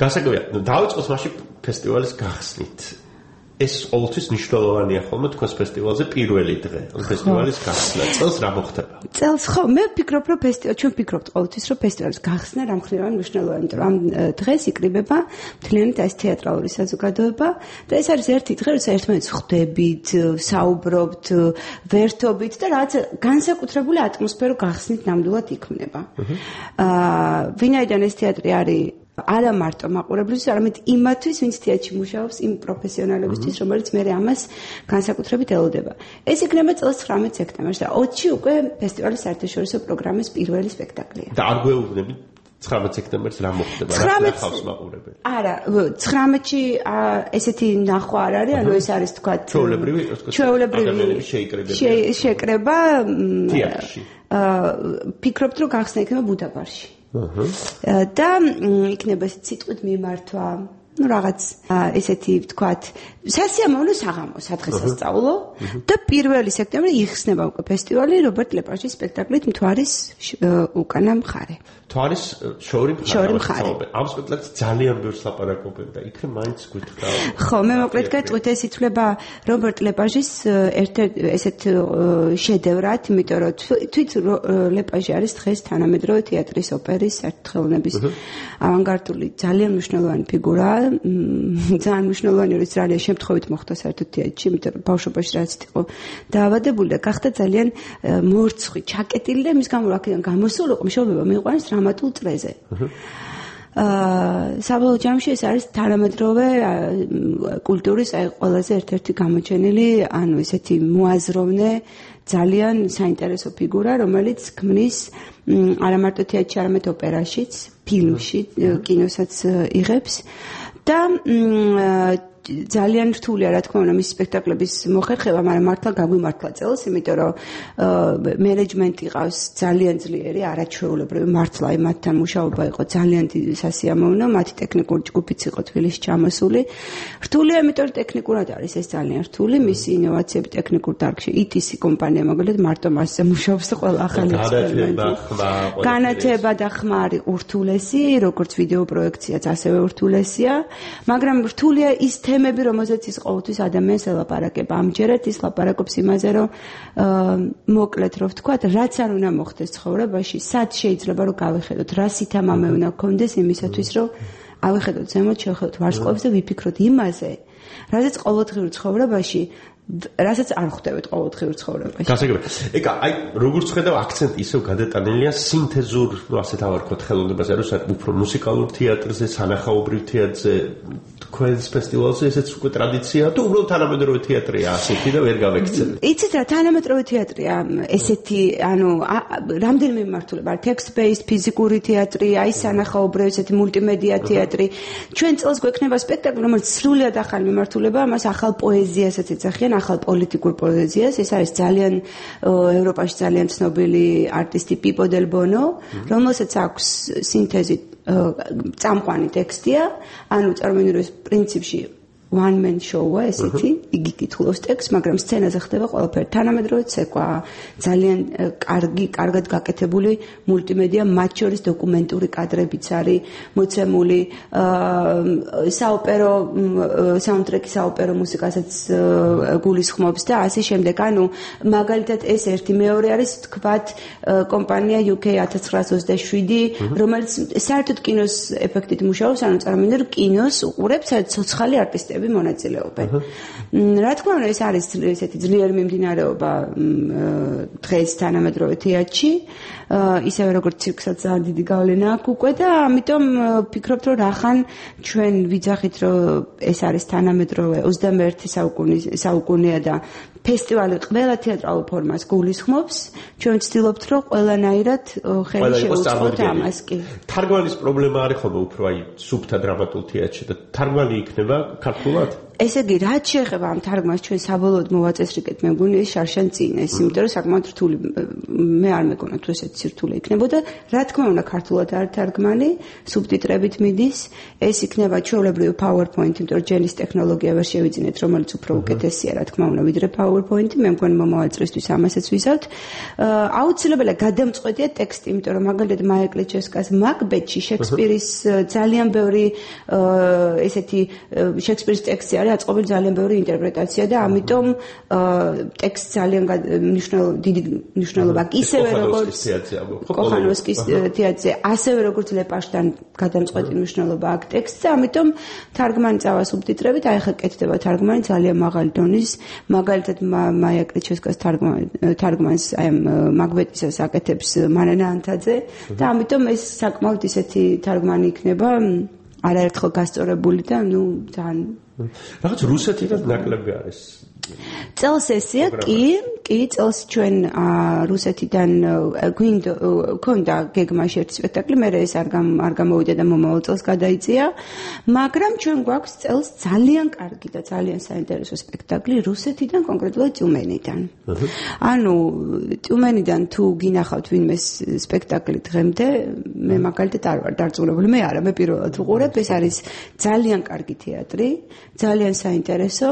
გასაგებია, დავიწყოთ მაშინ ფესტივალის გახსნით. ეს ყოველთვის მნიშვნელოვანია ხოლმე თქვენს ფესტივალზე პირველი დღე, ფესტივალის გახსნა. წელს რა მოხდება? წელს ხო, მე ვფიქრობ, რომ ფესტივალი, ჩვენ ვფიქრობთ ყოველთვის, რომ ფესტივალის გახსნა რამხნევან მნიშვნელოვანია, იმიტომ რომ ამ დღეს იკრიბება მთლიანად ეს თეატრალური საზოგადოება და ეს არის ერთი დღე, როცა ერთმანეთს ხვდებით, საუბრობთ, ვერთობით და რაღაც განსაკუთრებული ატმოსფერო გახსნით ნამდვილად იქმნება. აა, ვინაიდან ეს თეატრი არის არა მარტო მაყურებლისთვის, არამედ იმათვის, ვინც თეატრში მუშაობს, იმ პროფესიონალებისთვის, რომელიც მე ამას განსაკუთრებით ელოდება. ეს იქნება წელს ცხრამეტ სექტემბერს და ოცი უკვე ფესტივალის საერთაშორისო პროგრამის პირველი სპექტაკლია. და არ გვეუბნებით ცხრამეტ სექტემბერს რა მოხდება? რა ნახავს მაყურებელი? არა, ცხრამეტში ესეთი ნახვა არ არის, ანუ ეს არის თქვა ჩვეულებრივი, ჩვეულებრივი შეკრება თეატრში. აა ფიქრობთ, რომ გახსნა იქნება ბუდაპეშტში. და იქნება ეს სიტყვით მიმართვა, ну რაღაც ესეთი ვთქვათ, სასიამოვნო საღამო სადღესასწაულო და პირველი სექტემბერი იხსნება უკვე ფესტივალი რობერტ ლეპაჟის სპექტაკლით მთვარის უკანა მხარე. მთვარის შოური მხარე. ამ სპექტაკლს ძალიან ბევრს ლაპარაკობენ და იქნებ მაინც გითხრა. ხო, მე მოკლედ გეტყვით, ეს ითვლება რობერტ ლეპაჟის ერთ-ერთ ესეთ შედევრად, იმიტომ რომ თვით ლეპაჟი არის დღეს თანამედროვე თეატრის ოპერის ერთთხეულების ავანგარდული ძალიან მნიშვნელოვანი ფიგურაა. ძალიან მნიშვნელოვანი არის ძალიან შემთხვევით მოხდა საერთოდ თეატრში, იმიტომ რომ ბავშვობაში რაც იყო დაავადებული და გახდა ძალიან მორცხვი, ჩაკეტილი და მის გამო აქედან გამოსულიყო მშობლება მიყვანს დრამატულ წრეზე. აა საბოლოო ჯამში ეს არის თანამედროვე კულტურის აი ყველაზე ერთ-ერთი გამოჩენილი, ანუ ესეთი მოაზროვნე ძალიან საინტერესო ფიგურა, რომელიც ქმნის არა მარტო თეატრში, არამედ ოპერაშიც, ფილმში, კინოსაც იღებს და ძალიან რთულია რა თქმა უნდა მის სპექტაკლების მოხერხება, მაგრამ მართლა გაგვიმართლა წელს, იმიტომ რომ მენეჯმენტი ყავს ძალიან ძლიერი, არაჩვეულებრივი, მართლა აი მათთან მუშაობა იყო ძალიან სასიამოვნო, მათი ტექნიკური ჯგუფიც იყო თბილისში ჩამოსული. რთულია, იმიტომ რომ ტექნიკურად არის ეს ძალიან რთული, მისი ინოვაციები ტექნიკურ დარგში, ი ტი სი კომპანია მაგალითად მარტო მასზე მუშაობს და ყველა ახალი ექსპერიმენტი. განათება და ხმა არის ურთულესი, როგორც ვიდეო პროექციაც ასევე ურთულესია, მაგრამ რთულია ის თემები, რომელზეც ის ყოველთვის ადამიანს ელაპარაკება. ამჯერად ის ლაპარაკობს იმაზე, რომ მოკლედ რო ვთქვათ, რაც არ უნდა მოხდეს ცხოვრებაში, სად შეიძლება რომ გავიხედოთ, რა სითამამე უნდა გქონდეს იმისათვის, რომ ავიხედოთ ზემოთ, შევხედოთ ვარსკვლავებს და ვიფიქროთ იმაზე, რაზეც ყოველდღიურ ცხოვრებაში რასაც არ ხვდებით ყოველდღიურ ცხოვრებაში. გასაგებია. ეკა, აი, როგორც ხედავ, აქცენტი ისევ გადატანილია სინთეზურ, ну, ასეთ ავარქოთ ხელოვნებაზე, რომ უფრო მუსიკალურ თეატრზე, სანახაობრივ თეატრზე, თქვენს ფესტივალზე ესეც უკვე ტრადიციაა, თუ უბრალოდ თანამედროვე თეატრია ასეთი და ვერ გავექცევით. იცით რა, თანამედროვე თეატრია ესეთი, ანუ რამდენიმე მიმართულება, text based, ფიზიკური თეატრი, აი სანახაობრივი ესეთი მულტიმედია თეატრი. ჩვენ წელს გვექნება სპექტაკლი, რომელიც სრულიად ახალი მიმართულება, მას ახალ პოეზიასაც ეძახიან, ახალ პოლიტიკურ პოეზიას. ეს არის ძალიან ევროპაში ძალიან ცნობილი არტისტი პიპო დელ ბონო, რომელსაც აქვს სინთეზი წამყვანი ტექსტია, ანუ წარმოიდგინეთ პრინციპში one man show-ა ესეთი, იგი კითხულობს ტექსტს, მაგრამ სცენაზე ხდება ყველაფერი თანამედროვე ცეკვა, ძალიან კარგი, კარგად გაკეთებული მულტიმედია, მათ შორის დოკუმენტური კადრებიც არის მოცემული, საოპერო საუნდტრეკი საოპერო მუსიკასაც გულისხმობს და ასე შემდეგ. ანუ მაგალითად ეს ერთი, მეორე არის თქვათ კომპანია იუ კეი ათას ცხრაას ოცდაშვიდი, რომელიც საერთოდ კინოს ეფექტით მუშაობს, ანუ წარმოიდგინეთ, რომ კინოს უყურებს ცოცხალი არტისტები მონაწილეობენ. რა თქმა უნდა, ეს არის ესეთი ძლიერი მიმდინარეობა დღეს თანამედროვე თეატრში, ისევე როგორც ცირკსაც ძალიან დიდი გავლენა აქვს უკვე და ამიტომ ვფიქრობთ, რომ რახან ჩვენ ვიძახით, რომ ეს არის თანამედროვე ოცდამეერთე საუკუნეა და ფესტივალი ყველა თეატრალურ ფორმას გულისხმობს, ჩვენ ვცდილობთ, რომ ყველანაირად ხელი შევუწყოთ ამას კი. თარგმანის პრობლემა არის ხოლმე უფრო აი სუფთა დრამატულ თეატრში და თარგმანი იქნება ქართულად? ესე იგი, რაც შეეხება ამ თარგმანს ჩვენ საბოლოოდ მოვაწესრიგეთ, მე მგონი ეს შარშან წინ ეს, იმიტომ რომ საკმაოდ რთული მე არ მეკონა თუ ესეთი სირთულე იქნებოდა. რა თქმა უნდა, ქართულად არ თარგმანი, სუბტიტრებით მიდის. ეს იქნება ჩვეულებრივი PowerPoint, იმიტომ რომ ჯენის ტექნოლოგია ვერ შევიძინეთ, რომელიც უფრო უკეთესია, რა თქმა უნდა, ვიდრე PowerPoint-ი. მე მგონი მომავალ წლისთვის ამასაც ვიზავთ. აუცილებელია გადამწყვეტია ტექსტი, იმიტომ რომ მაგალითად მაია კლეჩევსკას მაკბეტში შექსპირის ძალიან ბევრი ესეთი შექსპირის ტექსტი არის აწყობილი ძალიან ბევრი ინტერპრეტაცია და ამიტომ ტექსტ ძალიან მნიშვნელოვანი დიდი მნიშვნელობა აქვს ისევე როგორც კოხანოვსკის თეატრზე ასევე როგორც ლეპაშთან გადამწყვეტი მნიშვნელობა აქვს ტექსტზე ამიტომ თარგმანი წავა სუბტიტრებით აი ხა კეთდება თარგმანი ძალიან მაღალი დონის მაგალითად მაია კლეჩევსკას თარგმანს აი მაკბეტისას აკეთებს მანანა ანთაძე და ამიტომ ეს საკმაოდ ისეთი თარგმანი იქნება არაერთხელ გასწორებული და ნუ ძალიან რაღაც რუსეთიდან ნაკლები არის წელს ესეა კი კი წელს ჩვენ რუსეთიდან გვინდა ქონდა გეგმაში ერთი სპექტაკლი მე ეს არ არ გამოვიდა და მომავალ წელს გადაიწია მაგრამ ჩვენ გვაქვს წელს ძალიან კარგი და ძალიან საინტერესო სპექტაკლი რუსეთიდან კონკრეტულად ტიუმენიდან ანუ ტიუმენიდან თუ გინახავთ ვინმე სპექტაკლი დღემდე მე მაგალითად არ ვარ დარწმუნებული მე არა მე პირველად ვუყურებ ეს არის ძალიან კარგი თეატრი ძალიან საინტერესო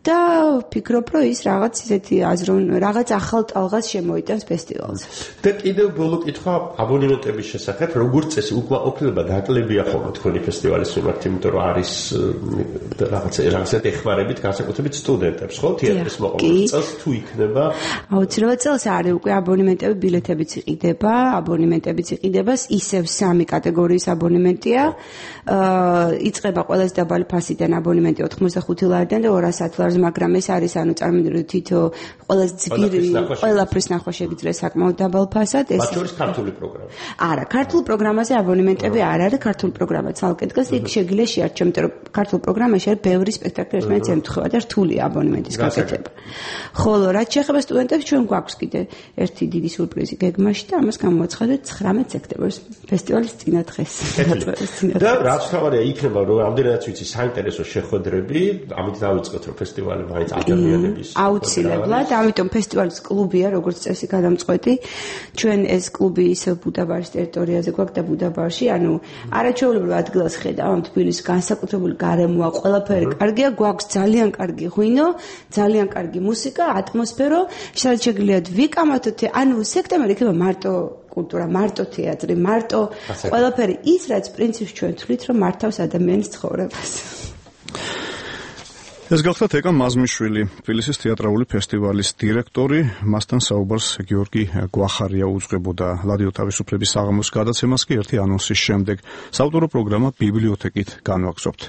და ვფიქრობ, რომ ის რაღაც ისეთი აზრონ, რაღაც ახალ ტალღას შემოიტანს ფესტივალზე. და კიდევ ბოლო კითხვა აბონემენტების შესახებ, როგორც წესი, უკმაყოფილება დაკლებია ხოლმე თქვენი ფესტივალის მიმართ, იმიტომ რომ არის რაღაც რაღაცა ეხმარებით განსაკუთრებით სტუდენტებს, ხო? თეატრის მოყვარულს წელს თუ იქნება? აუცილებლად წელს არის უკვე აბონემენტები, ბილეთებიც იყიდება, აბონემენტებიც იყიდება, ისევ სამი კატეგორიის აბონემენტია. აა იწყება ყველაზე დაბალი ფასიდან აბონემენტი ოთხმოცდახუთი ლარიდან და ორასი ლარს მაგრამ ეს არის ანუ წარმოვიდგინოთ თითო ყველაზე ძლიერი ყველაფრის ნახვა შეგიძლია საკმაოდ დაბალ ფასად ეს მათ შორის ქართული პროგრამა არა ქართულ პროგრამაზე აბონემენტები არ არის ქართული პროგრამა ცალკე დგას იქ შეგიძლია შეარჩიო იმიტომ რომ ქართულ პროგრამაში არის ბევრი სპექტაკლი ერთმანეთს ემთხვევა და რთულია აბონემენტის გაკეთება ხოლო რაც შეეხება სტუდენტებს ჩვენ გვაქვს კიდე ერთი დიდი სიურპრიზი გეგმაში და ამას გამოაცხადეთ ცხრამეტ სექტემბერს ფესტივალის წინა დღეს და რაც თავარია იქნება რომ ამდენადაც ვიცი საინტერესო შეხვედრები ამით დავიწყოთ რომ ფესტივალი მაინც ადამიანების აუცილებლად, ამიტომ ფესტივალის კლუბია, როგორც წესი გადამწყვეტი. ჩვენ ეს კლუბი ისევ ბუდაპეშტის ტერიტორიაზე გვაქვს და ბუდაპეშტში, ანუ არაჩვეულებრივ ადგილას ხედავ ამ თბილისის განსაკუთრებული გარემოა, ყველაფერი კარგია, გვაქვს ძალიან კარგი ღვინო, ძალიან კარგი მუსიკა, ატმოსფერო, შეგვიძლიათ ვიკამათოთ, ანუ სექტემბერი იქნება მარტო კულტურა, მარტო თეატრი, მარტო ყველაფერი ის, რაც პრინციპს ჩვენ თვლით, რომ მართავს ადამიანის ცხოვრებას. ეს გახლავთ ეკა მაზმიშვილი, თბილისის თეატრალური ფესტივალის დირექტორი, მასთან საუბარს გიორგი გვახარია უძღვებოდა რადიო თავისუფლების საღამოს გადაცემას კი ერთი ანონსის შემდეგ. საავტორო პროგრამა ბიბლიოთეკით განვაგზობთ.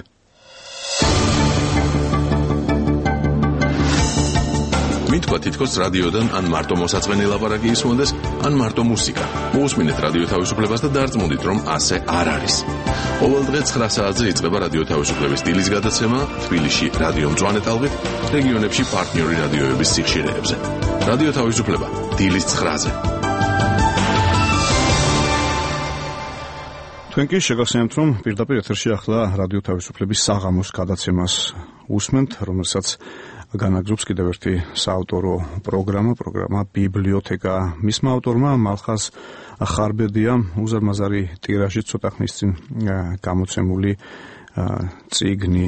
მითქვა თითქოს რადიოდან ან მარტო მოსაწყენი ლაპარაკი ისმოდეს, ან მარტო მუსიკა. მოусმინეთ რადიო თავისუფლებას და დარწმუნდით, რომ ასე არ არის. ყოველ დღე ცხრა საათზე იწყება რადიო თავისუფლების დილის გადაცემა თბილისში რადიო მწვანე ტალღით, რეგიონებში პარტნიორი რადიოების სიხშირეებზე. რადიო თავისუფლება დილის ცხრაზე. თქვენ კი შეგახსენებთ, რომ პირდაპირ ეთერში ახლა რადიო თავისუფლების საღამოს გადაცემას უსმენთ, რომელსაც განაგზობს კიდევ ერთი საავტორო პროგრამა, პროგრამა ბიბლიოთეკა. მისმა ავტორმა მალხაზ ხარბედიამ უზარმაზარი ტირაჟით ცოტა ხნის წინ გამოცემული წიგნი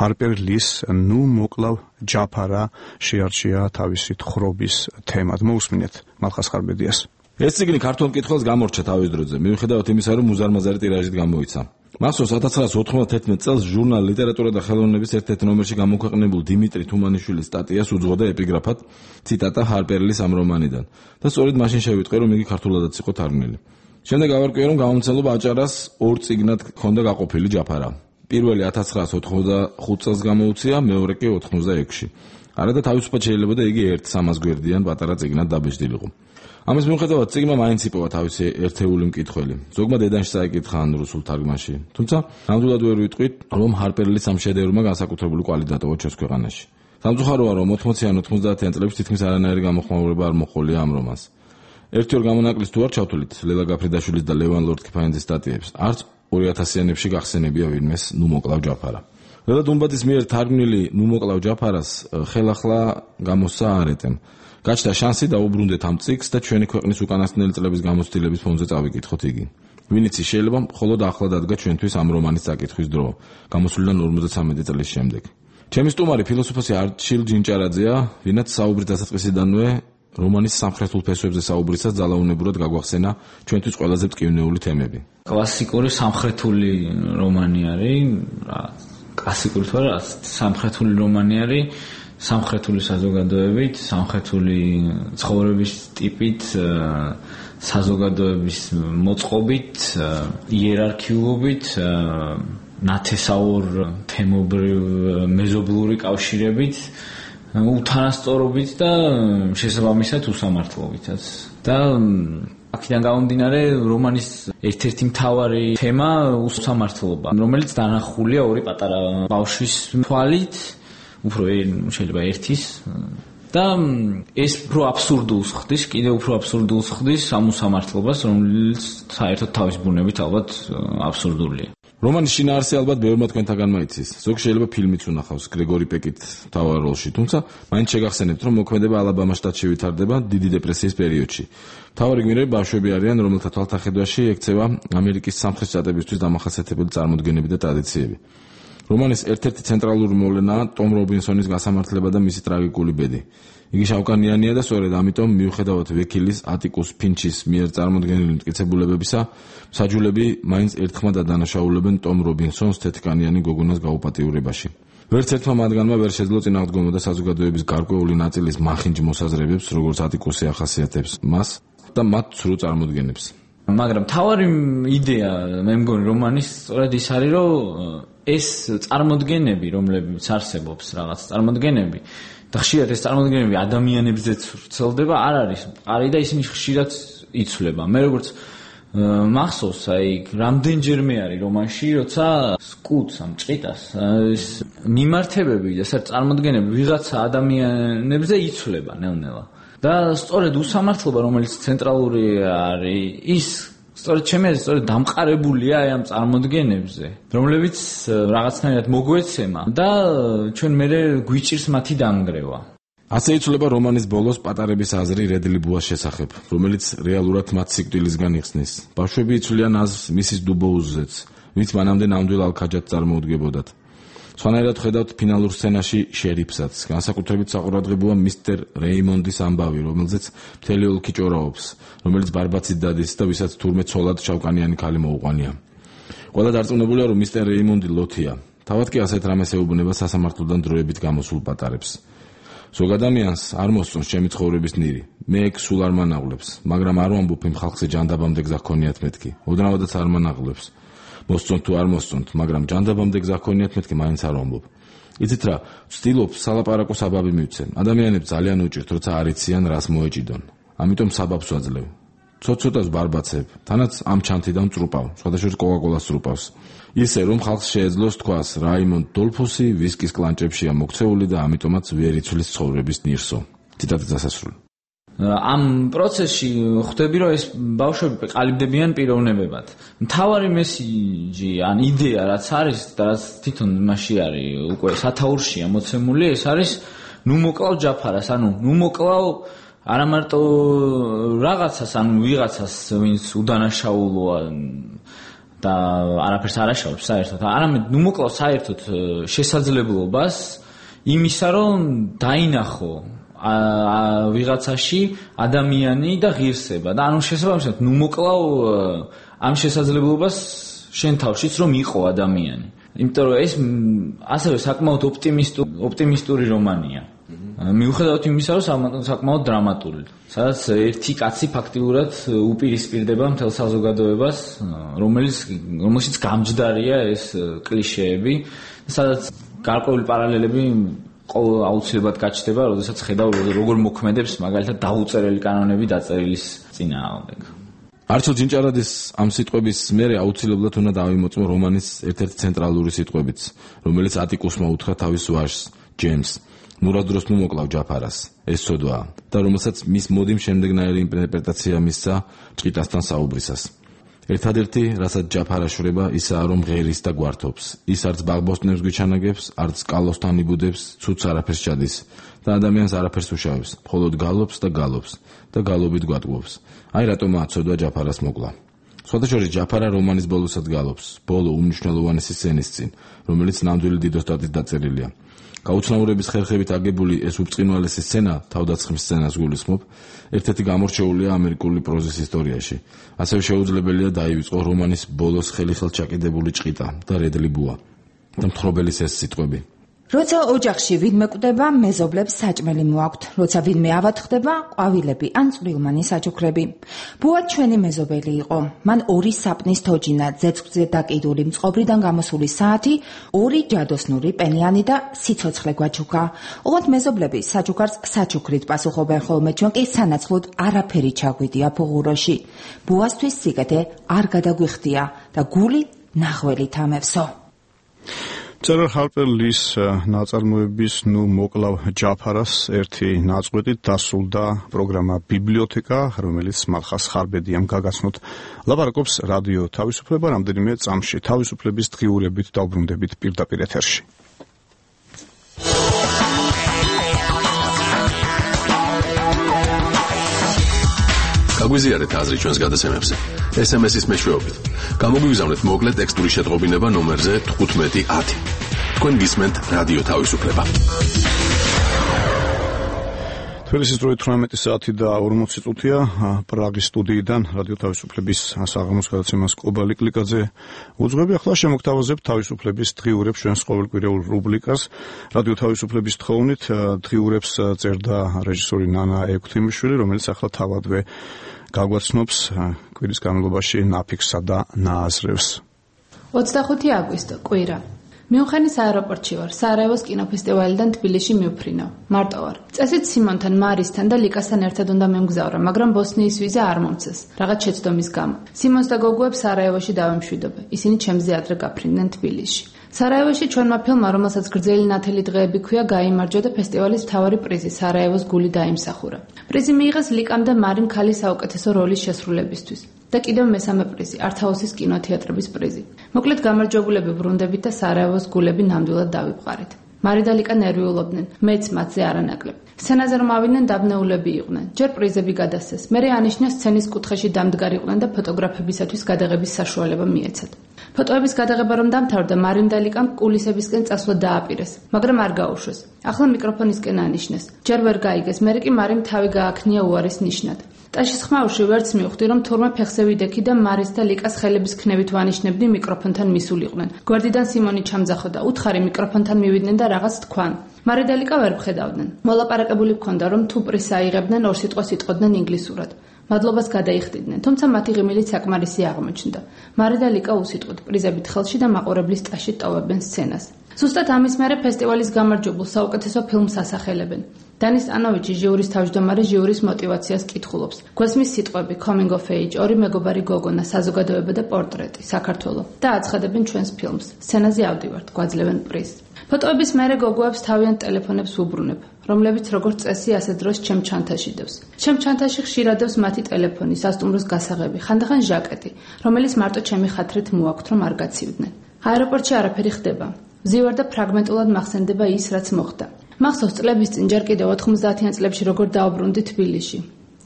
ჰარპერ ლის ნუ მოკლავ ჯაფარა შეარჩია თავისი თხრობის თემად. მოусმინეთ მალხაზ ხარბედიას. ეს წიგნი ქართულ მკითხველს გამორჩა თავის დროზე, მიუხედავად იმისა, რომ უზარმაზარი ტირაჟით გამოიცა. მახსოვს ათას ცხრაას ოთხმოცდათერთმეტ წელს ჟურნალ ლიტერატურა და ხელოვნების ერთ-ერთ ნომერში გამოქვეყნებულ დიმიტრი თუმანიშვილის სტატიას უძღვოდა ეპიგრაფად ციტატა ჰარპერლის ამ რომანიდან და სწორედ მაშინ შევიტყვე, რომ იგი ქართულადაც იყო თარგმნილი. შემდეგ გავარკვიე, რომ გამომცემლობა აჭარას ორ წიგნად ჰქონდა გაყოფილი ჯაფარა. პირველი ათას ცხრაას ოთხმოცდახუთ წელს გამოუცია, მეორე კი ოთხმოცდაექვსში. არადა თავისუფლად შეიძლება და იგი ერთ სამას გვერდიან პატარა წიგნად დაბეჭდილიყო. ამის მიუხედავად წიგნმა მაინც იპოვა თავისი ერთეული მკითხველი. ზოგმა დედანში წაიკითხა ან რუსულ თარგმანში. თუმცა ნამდვილად ვერ ვიტყვით, რომ ჰარპერლის ამ შედევრმა განსაკუთრებული კვალი დატოვა ჩვენს ქვეყანაში. სამწუხაროა, რომ ოთხმოციან ოცდაათიან წლებში თითქმის არანაირი გამოხმაურება არ მოჰყოლია ამ რომანს. ერთი ორ გამონაკლის თუ არ ჩავთვლით ლელა გაფრიდაშვილის და ლევან ლორდ-კიფაინძის სტატიებს, არც ორი ათასიანებში გახსენებია ვინმეს ნუ მოკლავ ჯაფარა. ყველა დუმბადის მიერ თარგმნილი ნუ მოკლავ ჯაფარას ხელახლა გამოსცა არეტემ. გაჩნდა შანსი დაუბრუნდეთ ამ წიგნს და ჩვენი ქვეყნის უკანასკნელი წლების გამოცდილების ფონზე წავიკითხოთ იგი. ვინც შეიძლება მხოლოდ ახლა დადგა ჩვენთვის ამ რომანის წაკითხვის დრო, გამოსვლიდან ორმოცდამეტი წლის შემდეგ. ჩემი სტუმარი ფილოსოფოსი არჩილ ჯინჭარაძეა, ვინაც საუბრის დასაწყისიდანვე რომანის სამხრეთულ ფესვებზე საუბრისას ძალაუნებურად გაგვახსენა ჩვენთვის ყველაზე მტკივნეული თემები. კლასიკური სამხრეთული რომანი არის, რა, კლასიკური თუ არა, სამხრეთული რომანი არის, სამხრეთული საზოგადოებით, სამხრეთული ცხოვრების ტიპით, საზოგადოების მოწყობით, იერარქიულობით, ნათესაურ თემობრივ მეზობლური კავშირებით, უთანასწორობით და შესაბამისად უსამართლობითაც. და აქედან გამომდინარე რომანის ერთ-ერთი მთავარი თემა უსამართლობა, რომელიც დანახულია ორი პატარა ბავშვის თვალით, უფრო შეიძლება ერთის და ეს უფრო აბსურდულს ხდის, კიდევ უფრო აბსურდულს ხდის ამ უსამართლობას, რომელიც საერთოდ თავის ბუნებით ალბათ აბსურდულია. რომანის შინაარსი ალბათ ბევრმა თქვენთაგანმა იცის. ზოგი შეიძლება ფილმიც უნახავს გრეგორი პეკით მთავარ როლში, თუმცა მაინც შეგახსენებთ, რომ მოქმედება ალაბამას შტატში ვითარდება დიდი დეპრესიის პერიოდში. მთავარი გმირები ბავშვები არიან, რომელთა თვალთახედვაში ექცევა ამერიკის სამხრეთ შტატებისთვის დამახასიათებელი წარმოდგენები და ტრადიციები. რომანის ერთ-ერთი ცენტრალური მოვლენაა ტომ რობინსონის გასამართლება და მისი ტრაგიკული ბედი. იგი შავკანიანია და სწორედ ამიტომ მიუხედავად ვეკილის ატიკუს ფინჩის მიერ წარმოდგენილი მტკიცებულებებისა, მსაჯულები მაინც ერთხმად ადანაშაულებენ ტომ რობინსონს თეთრკანიანი გოგონას გაუპატიურებაში. ვერც ერთმა მათგანმა ვერ შეძლო წინააღმდეგობა და საზოგადოების გარკვეული ნაწილის მახინჯ მოსაზრებებს, როგორც ატიკუსი ახასიათებს მას და მათ ცრუ წარმოდგენებს. მაგრამ თავარი იდეა მე მგონი რომანის სწორედ ის არის, რომ ეს წარმოდგენები, რომლებიც არსებობს რაღაც წარმოდგენები და ხშირად ეს წარმოდგენები ადამიანებზეც ვრცელდება, არ არის მყარი და ისინი ხშირად იცვლება. მე როგორც მახსოვს, აი რამდენჯერმე არის რომანში, როცა სკუტს ამ ჭყიტას ეს მიმართებები და საერთოდ წარმოდგენები ვიღაცა ადამიანებზე იცვლება ნელ-ნელა. და სწორედ უსამართლობა, რომელიც ცენტრალური არის, ის სწორედ ჩემი აზრით სწორედ დამყარებულია აი ამ წარმოდგენებზე, რომლებიც რაღაცნაირად მოგვეცემა და ჩვენ მერე გვიჭირს მათი დანგრევა. ასე იცვლება რომანის ბოლოს პატარების აზრი რედლი ბუას შესახებ, რომელიც რეალურად მათ სიკვდილისგან იხსნის. ბავშვები იცვლიან აზრს მისის დუბოუზზეც, ვინც მანამდე ნამდვილ ალქაჯად წარმოუდგებოდათ. სხვანაირად ხედავთ ფინალურ სცენაში შერიფსაც. განსაკუთრებით საყურადღებოა მისტერ რეიმონდის ამბავი, რომელზეც მთელი ოლქი ჭორაობს, რომელიც ბარბაცით დადის და ვისაც თურმე ცოლად შავკანიანი ქალი მოუყვანია. ყველა დარწმუნებულია, რომ მისტერ რეიმონდი ლოთია. თავად კი ასეთ რამეს ეუბნება სასამართლოდან დროებით გამოსულ პატარებს. ზოგ ადამიანს არ მოსწონს ჩემი ცხოვრების ნირი. მე ეგ სულ არ მანაღლებს, მაგრამ არ ვამბობ იმ ხალხზე ჯანდაბამდე გზა ჰქონიათ მეთქი. ოდნავადაც არ მანაღლებს. მოსწონთ თუ არ მოსწონთ, მაგრამ ჯანდაბამდე გზა ჰქონიათ მეთქი მაინც არ ვამბობ. იცით რა, ვცდილობ სალაპარაკო საბაბი მივცემ. ადამიანებს ძალიან უჭირთ, როცა არ იციან რას მოეჭიდონ. ამიტომ საბაბს ვაძლევ. ცოტ-ცოტას ბარბაცებ, თანაც ამ ჩანთიდან წრუპავ, სხვადასხვა კოკაკოლას წრუპავს. ისე რომ ხალხს შეეძლოს თქვას, რაიმონდ დოლფუსი ვისკის კლანჭებშია მოქცეული და ამიტომაც ვერ იცვლის ცხოვრების ნირსო. ციტატის დასასრული. ამ პროცესში ხვდები, რომ ეს ბავშვები ყალიბდებიან პიროვნებებად. მთავარი მესიჯი ან იდეა რაც არის და რაც თვითონ მასში არის უკვე სათაურშია მოცემული, ეს არის ნუ მოკლავ ჯაფარას, ანუ ნუ მოკლავ არა მარტო რაღაცას, ანუ ვიღაცას, ვინც უდანაშაულოა და არაფერს არ აშავებს საერთოდ, არამედ ნუ მოკლავ საერთოდ შესაძლებლობას იმისა, რომ დაინახო ვიღაცაში ადამიანი და ღირსება და ანუ შესაბამისად ნუ მოკლავ ამ შესაძლებლობას შენ თავშიც რომ იყო ადამიანი. იმიტომ რომ ეს ასევე საკმაოდ ოპტიმისტური ოპტიმისტური რომანია. მიუხედავად იმისა, რომ საკმაოდ დრამატული, სადაც ერთი კაცი ფაქტიურად უპირისპირდება მთელ საზოგადოებას, რომელიც რომელშიც გამჯდარია ეს კლიშეები, სადაც გარკვეული პარალელები აუცილებლად გაჩნდება, როდესაც ხედავ როგორ მოქმედებს მაგალითად დაუწერელი კანონები დაწერილის წინააღმდეგ. არჩილ ჯინჭარაძის ამ სიტყვების მერე აუცილებლად უნდა დავიმოწმო რომანის ერთ-ერთი ცენტრალური სიტყვებიც, რომელიც ატიკუსმა უთხრა თავის ვაჟს, ჯეიმს. მურა დროს ნუ მოკლავ ჯაფარას, ეს ცოდვაა და რომელსაც მის მოდიმ შემდეგნაირი ინტერპრეტაცია მისცა ჭყიტასთან საუბრისას. ერთადერთი, რასაც ჯაფარა შვრება, ისაა, რომ ღერის და გვართობს. ის არც ბაღბოსტნებს გვიჩანაგებს, არც კალოსთან იბუდებს, ცუც არაფერს ჩადის და ადამიანს არაფერს უშავებს, მხოლოდ გალობს და გალობს და გალობით გვატყუებს. აი რატომაა ცოდვა ჯაფარას მოკლა. სხვადასხვა ჯაფარა რომანის ბოლოსაც გალობს, ბოლო უმნიშვნელოვანესი სცენის წინ, რომელიც ნამდვილი დიდოსტატით დაწერილია. გაუცნაურების ხერხებით აგებული ეს უბწყინვალესი სცენა, თავდაცხმის სცენას გულისხმობ, ერთ-ერთი გამორჩეულია ამერიკული პროზის ისტორიაში. ასევე შეუძლებელია დაივიწყო რომანის ბოლოს ხელიხელ ჩაკიდებული ჭყიტა და რედლი ბუა და მთხრობელის ეს სიტყვები. როცა ოჯახში ვინმე კვდება, მეზობლებს საჭმელი მოაქვთ, როცა ვინმე ავად ხდება, ყვავილები ან წვრილმანი საჩუქრები. ბუა ჩვენი მეზობელი იყო. მან ორი საპნის თოჯინა, ძეწვზე დაკიდული მწყობრიდან გამოსული საათი, ორი ჯადოსნური პენიანი და სიცოცხლე გვაჩუქა. ოღონდ მეზობლები საჩუქარს საჩუქრით პასუხობენ, ხოლმე ჩვენ კი სანაცვლოდ არაფერი ჩაგვიდია ფუღუროში. ბუასთვის სიკეთე არ გადაგვიხდია და გული ნახველით ამევსო. წერალ ჰარპერ ლის ნაწარმოების ნუ მოკლავ ჯაფარას ერთი ნაწყვეტით დასრულდა პროგრამა ბიბლიოთეკა, რომელიც მალხას ხარბედიამ გაგაცნოთ. ლაპარაკობს რადიო თავისუფლება რამდენიმე წამში თავისუფლების დღიურებით დავბრუნდებით პირდაპირ ეთერში. გაგვიზიარეთ აზრი ჩვენს გადაცემებზე. ეს ემ ეს-ის მეშვეობით. გამოგვიგზავნეთ მოკლე ტექსტური შეტყობინება ნომერზე თხუთმეტი ათი. თქვენ გისმენთ რადიო თავისუფლება. თბილისის დროით თვრამეტი საათი და ორმოცი წუთია პრაღის სტუდიიდან რადიო თავისუფლების საღამოს გადაცემას კობალი კლიკაძე უძღვები. ახლა შემოგთავაზებთ თავისუფლების დღიურებს ჩვენს ყოველკვირეულ რუბრიკას. რადიო თავისუფლების თხოვნით დღიურებს წერდა რეჟისორი ნანა ექვთიმიშვილი, რომელიც ახლა თავადვე გაგვაცნობს კვირის განმავლობაში ნაფიქსსა და ნააზრევს. ოცდახუთი აგვისტო, კვირა. მიუნხენის აეროპორტში ვარ, სარაევოს კინოფესტივალიდან თბილისში მივფრინავ. მარტო ვარ. წესით სიმონთან, მარისთან და ლიკასთან ერთად უნდა მემგზავრა, მაგრამ ბოსნიის ვიზა არ მომწეს, რაღაც შეცდომის გამო. სიმონს და გოგუებს სარაევოში დავემშვიდობე. ისინი ჩემზე ადრე გაფრინდნენ თბილისში. სარაევოში ჩვენმა ფილმმა, რომელსაც გრძელი ნათელი დღეები ქვია, გაიმარჯვა და ფესტივალის მთავარი პრიზი სარაევოს გული დაიმსახურა. პრიზი მიიღეს ლიკამ და მარიმ ქალის საუკეთესო როლის შესრულებისთვის. და კიდევ მესამე პრიზი, ართაუსის კინოთეატრების პრიზი. მოკლედ გამარჯვებულები ბრუნდებით და სარაევოს გულები ნამდვილად დავიბყარით. მარი და ლიკა ნერვიულობდნენ, მეც მათზე არანაკლებ. სცენაზე რომ ავიდნენ, დაბნეულები იყვნენ. ჯერ პრიზები გადასცეს, მერე ანიშნეს სცენის კუთხეში დამდგარიყვნენ და ფოტოგრაფებისათვის გადაღების საშუალება მიეცათ. ფოტოების გადაღება რომ დამთავრდა, მარიმ და ლიკამ კულისებისკენ წასვლა დააპირეს, მაგრამ არ გაუშვეს. ახლა მიკროფონისკენ ანიშნეს. ჯერ ვერ გაიგეს, მერე კი მარიმ თავი გააქნია უარის ნიშნად. ტაშის ხმაურში ვერც მივხვდი, რომ თურმე ფეხზე ვიდექი და მარის და ლიკას ხელების ქნევით ვანიშნებდი მიკროფონთან მისულიყვნენ. გვერდიდან სიმონი ჩამძახოდა, უთხარი მიკროფონთან მივიდნენ და რაღაც თქვან. მარი და ლიკა ვერ ვხედავდნენ. მოლაპარაკებული ჰქონდა, რომ თუ პრიზს აიღებდნენ, ორ სიტყვას იტყოდნენ ინგლისურად. მადლობას გადაიხდიდნენ, თუმცა მათი ღიმილით საკმარისი აღმოჩნდა. მარი და ლიკა უსიტყვოდ პრიზებით ხელში და მაყურებლის ტაშით ტოვებენ სცენას. ზუსტად ამის მერე ფესტივალის გამარჯვებულ საუკეთესო ფილმს ასახელებენ. დანის სტანოვიჩი ჟიურის თავმჯდომარე ჟიურის мотиваციას კითხულობს. გვესმის სიტყვები coming of age, ორი მეგობარი გოგონა, საზოგადოება და პორტრეტი, საქართველო და აცხადებენ ჩვენს ფილმს. სცენაზე ავდივართ, გვაძლევენ პრიზს. ფოტოების მერე გოგოებს თავიანთ ტელეფონებს უბრუნებ, რომლებიც როგორც წესი ასე დროს ჩემ ჩანთაში დევს. ჩემ ჩანთაში ხშირად დევს მათი ტელეფონი, სასტუმროს გასაღები, ხანდახან ჟაკეტი, რომელიც მარტო ჩემი ხათრით მოაქვთ, რომ არ გაცივდნენ. აეროპორტში არაფერი ხდება. ვზივარ და ფრაგმენტულად მახსენდება ის, რაც მოხდა. მახსოვს წლების წინ ჯერ კიდევ ოთხმოცდაათიან წლებში როგორ დაუბრუნდი თბილისში.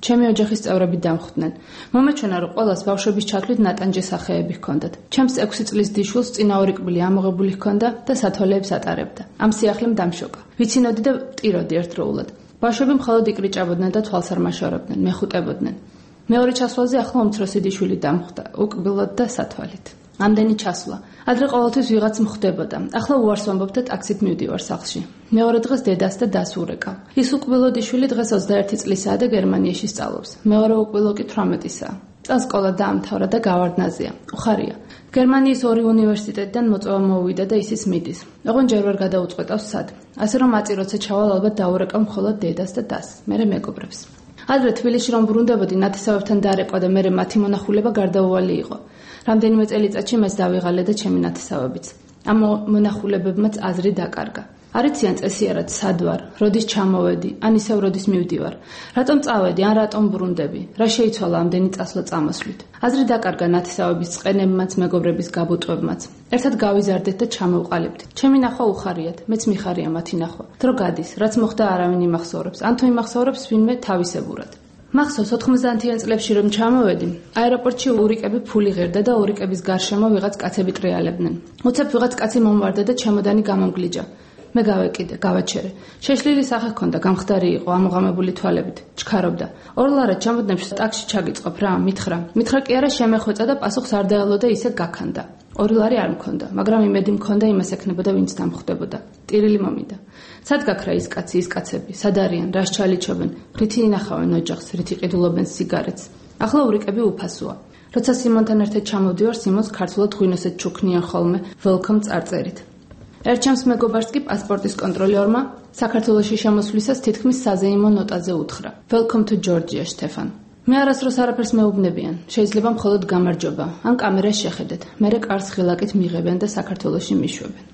ჩემი ოჯახის წევრები დამხვდნენ. მომეჩვენა, რომ ყველას ბავშვების ჩათვლით ნატანჯი სახეები ჰქონდათ. ჩემს ექვსი წლის დიშულს წინა ორი კბილი ამოღებული ჰქონდა და სათვალეებს ატარებდა. ამ სიახლემ დამშოკა. ვიცინოდი და ვტიროდი ერთდროულად. ბავშვები მხოლოდ იკრიჭაბოდნენ და თვალს არ მაშორებდნენ, მეხუტებოდნენ. მეორე ჩასვლაზე ახლა უმცროსი დიშვილი დამხვდა, უკბილოდ და სათვალით. ამდენი ჩასვლა. ადრე ყოველთვის ვიღაც მხდებოდა. ახლა უარს ვამბობ და ტაქსით მივდივარ სახლში. მეორე დღეს დედას და დას ურეკავ. ის უკბილო დიშვილი დღეს ოცდაერთი წლისაა და გერმანიაში სწავლობს. მეორე უკბილო კი თვრამეტისაა. წელს სკოლა დაამთავრა და გავარდნაზეა. უხარია. გერმანიის ორი უნივერსიტეტიდან მოწვევა მოუვიდა და ისიც მიდის. ოღონდ ჯერ ვერ გადაუწყვეტავს სად. ასე რომ აწი როცა ჩავალ ალბათ დაურეკავ მხოლოდ დედას და დას, მერე მეგობრებს. ადრე თბილისში რომ ბრუნდებოდი, ნათესავებთან დარეკვა და მერე მათი მონახულება გარდაუვალი იყო. რამდენიმე წელიწადში მეც დავიღალე და ჩემი ნათესავებიც. ამ მონახულებებმაც აზრი დაკარგა. არიციან წესიარად სად ვარ, როდის ჩამოვედი, ან ისევ როდის მივდივარ. რატომ წავედი, ან რატომ ბრუნდები? რა შეიცვალა ამდენი წასვლა წამოსვლით? აზრი დაკარგა ნათესავების წყენებმაც, მეგობრების გაბუტვებმაც. ერთად გავიზარდეთ და ჩამოვყალიბთ. ჩემი ნახვა უხარიათ, მეც მიხარია მათი ნახვა. დრო გადის, რაც მოხდა არავინ იმახსოვრებს, ან თუ იმახსოვრებს ვინმე თავისებურად. მახსოვს ოთხმოცდაათიან წლებში რომ ჩამოვედი, აეროპორტში ურიკები ფული ღერდა და ურიკების გარშემო ვიღაც კაცები ტრიალებდნენ. უცებ ვიღაც კაცი მომვარდა და ჩემოდანი გამომგლიჯა. მე გავეკიდე, გავაჩერე. შეშლილი სახე ჰქონდა, გამხდარი იყო, ამოღამებული თვალებით, ჩქარობდა. ორლარად ჩამოდნებში ტაქსში ჩაგიწყობ რა, მითხრა. მითხრა კი არა, შემეხვეწა და პასუხს არ დაელოდა, ისე გაქანდა. ორი ლარი არ მქონდა, მაგრამ იმედი მქონდა იმას ექნებოდა, ვინც დამხვდებოდა. ტირილი მომიდა. სად გაქრა ის კაცი, ის კაცები, სად არიან, რას ჩალიჩობენ, რითი ინახავენ ოჯახს, რითი ყიდულობენ სიგარეტს. ახლა ურიკები უფასოა. როცა სიმონთან ერთად ჩამოვდივარ, სიმონს ქართულად ღვინოსეთ ჩუქნიან ხოლმე, ველკომ წარწერით. ერჩემს მეგობარს კი პასპორტის კონტროლერმა საქართველოში შემოსვლისას თითქმის საზეიმო ნოტაზე უთხრა. Welcome to Georgia, Stefan. მე არასდროს არაფერს მეუბნებიან. შეიძლება მხოლოდ გამარჯობა, ან კამერას შეხედეთ. მერე კარს ხილაკით მიღებენ და საქართველოში მიშვებენ.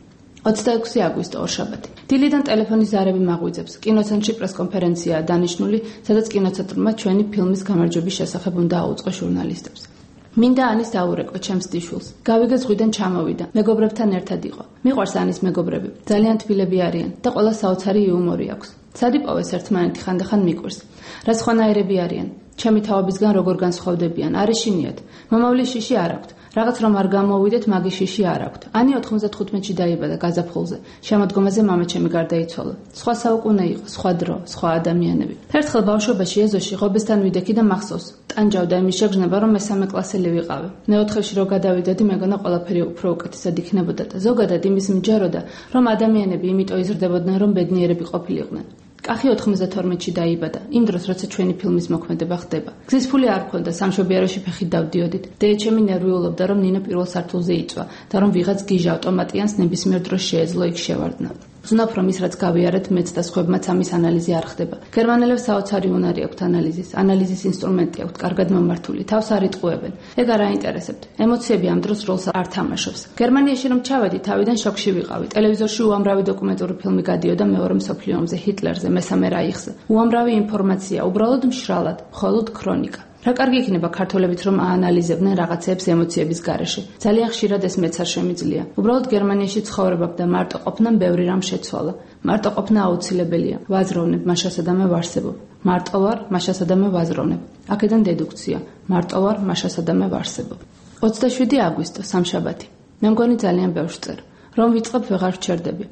ოცდაექვსი აგვისტო ორშაბათი. დილიდან ტელეფონის ზარები მაღვიძებს. კინოცენტრში პრესკონფერენციაა დანიშნული, სადაც კინოცენტრმა ჩვენი ფილმის გამარჯვების შესახებ უნდა აუწყო ჟურნალისტებს. მინდა ანის დაურეკო ჩემს დიშულს. გავიგე ზღვიდან ჩამოვიდა. მეგობრებთან ერთად იყო. მიყვარს ანის მეგობრები. ძალიან თბილები არიან და ყველა საოცარი იუმორი აქვს. სად იპოვეს ერთმანეთი ხანდახან მიყვარს. რა სხვანაირები არიან. ჩემი თავებისგან როგორ განსხვავდებიან, არ ეშინიათ. მომავლის შიში არ აქვთ. რაღაც რომ არ გამოვიდეთ, მაგის შიში არ აქვთ. ანი ოთხმოცდათხუთმეტში დაიბადა გაზაფხულზე. შემოდგომაზე მამაჩემი გარდაიცვალა. სხვა საუკუნე იყო, სხვა დრო, სხვა ადამიანები. ერთხელ ბავშვობაში ეზოში ღობესთან ვიდექი და მახსოვს. ტანჯავდა იმის შეგრძნება, რომ მესამე კლასელი ვიყავი. მეოთხეში რო გადავიდოდი, მეგონა ყველაფერი უფრო უკეთესად იქნებოდა და ზოგადად იმის მჯეროდა, რომ ადამიანები იმიტომ იზრდებოდნენ, რომ ბედნიერები ყოფილიყვნენ. კახი ოთხმოცდათორმეტში დაიბადა, იმ დროს როცა ჩვენი ფილმის მოქმედება ხდება. გზის ფული არ მქონდა, სამშობიაროში ფეხით დავდიოდით. დედაჩემი ნერვიულობდა, რომ ნინო პირველ სართულზე იწვა და რომ ვიღაც გიჟა ავტომატიანს ნებისმიერ დროს შეეძლო იქ შევარდნა. ზნობ რომ ის რაც გავიარეთ მეც და სხვებმაც ამის ანალიზი არ ხდება. გერმანელებს საოცარი უნარი აქვთ ანალიზის, ანალიზის ინსტრუმენტი აქვთ, კარგად მომართული, თავს არ იტყუებენ. ეგ არ აინტერესებთ. ემოციები ამ დროს როლს არ თამაშობს. გერმანიაში რომ ჩავედი, თავიდან შოკში ვიყავი. ტელევიზორში უამრავი დოკუმენტური ფილმი გადიოდა მეორე მსოფლიო ომზე, ჰიტლერზე, მესამე რაიხზე. უამრავი ინფორმაცია, უბრალოდ მშრალად, მხოლოდ ქრონიკა. რა კარგი იქნება ქართველებიც რომ აანალიზებდნენ რაღაცეებს ემოციების გარეშე. ძალიან ხშირად ეს მეც არ შემიძლია. უბრალოდ გერმანიაში ცხოვრებამ და მარტო ყოფნამ ბევრი რამ შეცვალა. მარტო ყოფნა აუცილებელია. ვაზროვნებ, მაშასა და მე ვარსებობ. მარტო ვარ, მაშასა და მე ვაზროვნებ. აქედან დედუქცია. მარტო ვარ, მაშასა და მე ვარსებობ. ოცდაშვიდი აგვისტო, სამშაბათი. მე მგონი ძალიან ბევრს წერ. რომ ვიწყებ ვეღარ ვჩერდები.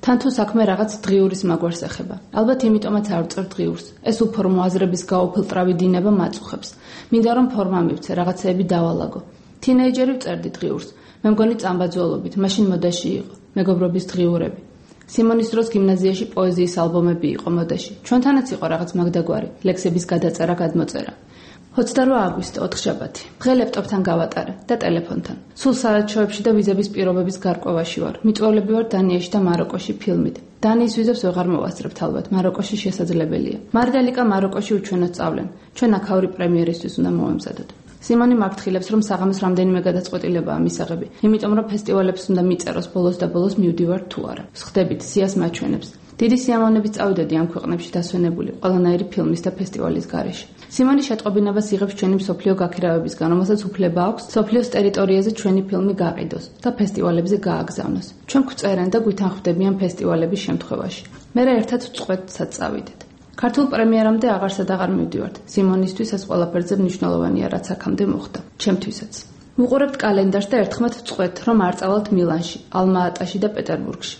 თან თუ საქმე რაღაც დღიურის მაგვარს ეხება. ალბათ იმიტომაც არ ვწერ დღიურს. ეს უფორმო აზრების გაუფილტრავი დინება მაწუხებს. მინდა რომ ფორმა მივცე, რაღაცეები დავალაგო. თინეიჯერი ვწერდი დღიურს. მე მგონი წამბაძველობით, მაშინ მოდაში იყო. მეგობრობის დღიურები. სიმონის დროს გიმნაზიაში პოეზიის ალბომები იყო მოდაში. ჩვენთანაც იყო რაღაც მაგდაგვარი, ლექსების გადაწერა, გადმოწერა. ოცდარვა აგვისტო, ოთხშაბათი. დღე ლეპტოპთან გავატარე და ტელეფონთან. სულ საელჩოებში და ვიზების პირობების გარკვევაში ვარ. მიწვევლები ვარ დანიაში და მაროკოში ფილმით. დანიის ვიზებს ვეღარ მოვასწრებთ ალბათ, მაროკოში შესაძლებელია. მარდალიკა მაროკოში უჩვენო სწავლენ. ჩვენ აქაური პრემიერისთვის უნდა მოვემზადოთ. სიმონი მართხილებს, რომ საღამოს რამდენიმე გადაწყვეტილებაა მისაღები, იმიტომ რომ ფესტივალებს უნდა მიწეროს ბოლოს და ბოლოს მივდივარ თუ არა. ვსხდებით, სიას მაჩვენებს. დიდი სიამოვნებით წავიდოდი ამ ქვეყნებში დასვენებული ყველანაირი ფილმის და ფესტივალის გარეშე. სიმონი შეტყობინებას იღებს ჩვენი მსოფლიო გაქირავებისგან, რომელსაც უფლება აქვს მსოფლიოს ტერიტორიაზე ჩვენი ფილმი გაყიდოს და ფესტივალებზე გააგზავნოს. ჩვენ გვწერენ და გვითანხმდებიან ფესტივალების შემთხვევაში. მერე ერთად ვწყვეტსაც წავიდეთ. ქართულ პრემიერამდე აღარსად აღარ მივდივართ. სიმონისთვის ეს ყველაფერზე მნიშვნელოვანია, რაც აქამდე მოხდა. ჩემთვისაც. ვუყურებთ კალენდარს და ერთხმად ვწყვეტ, რომ არ წავალთ მილანში, ალმა-ატაში და პეტერბურგში.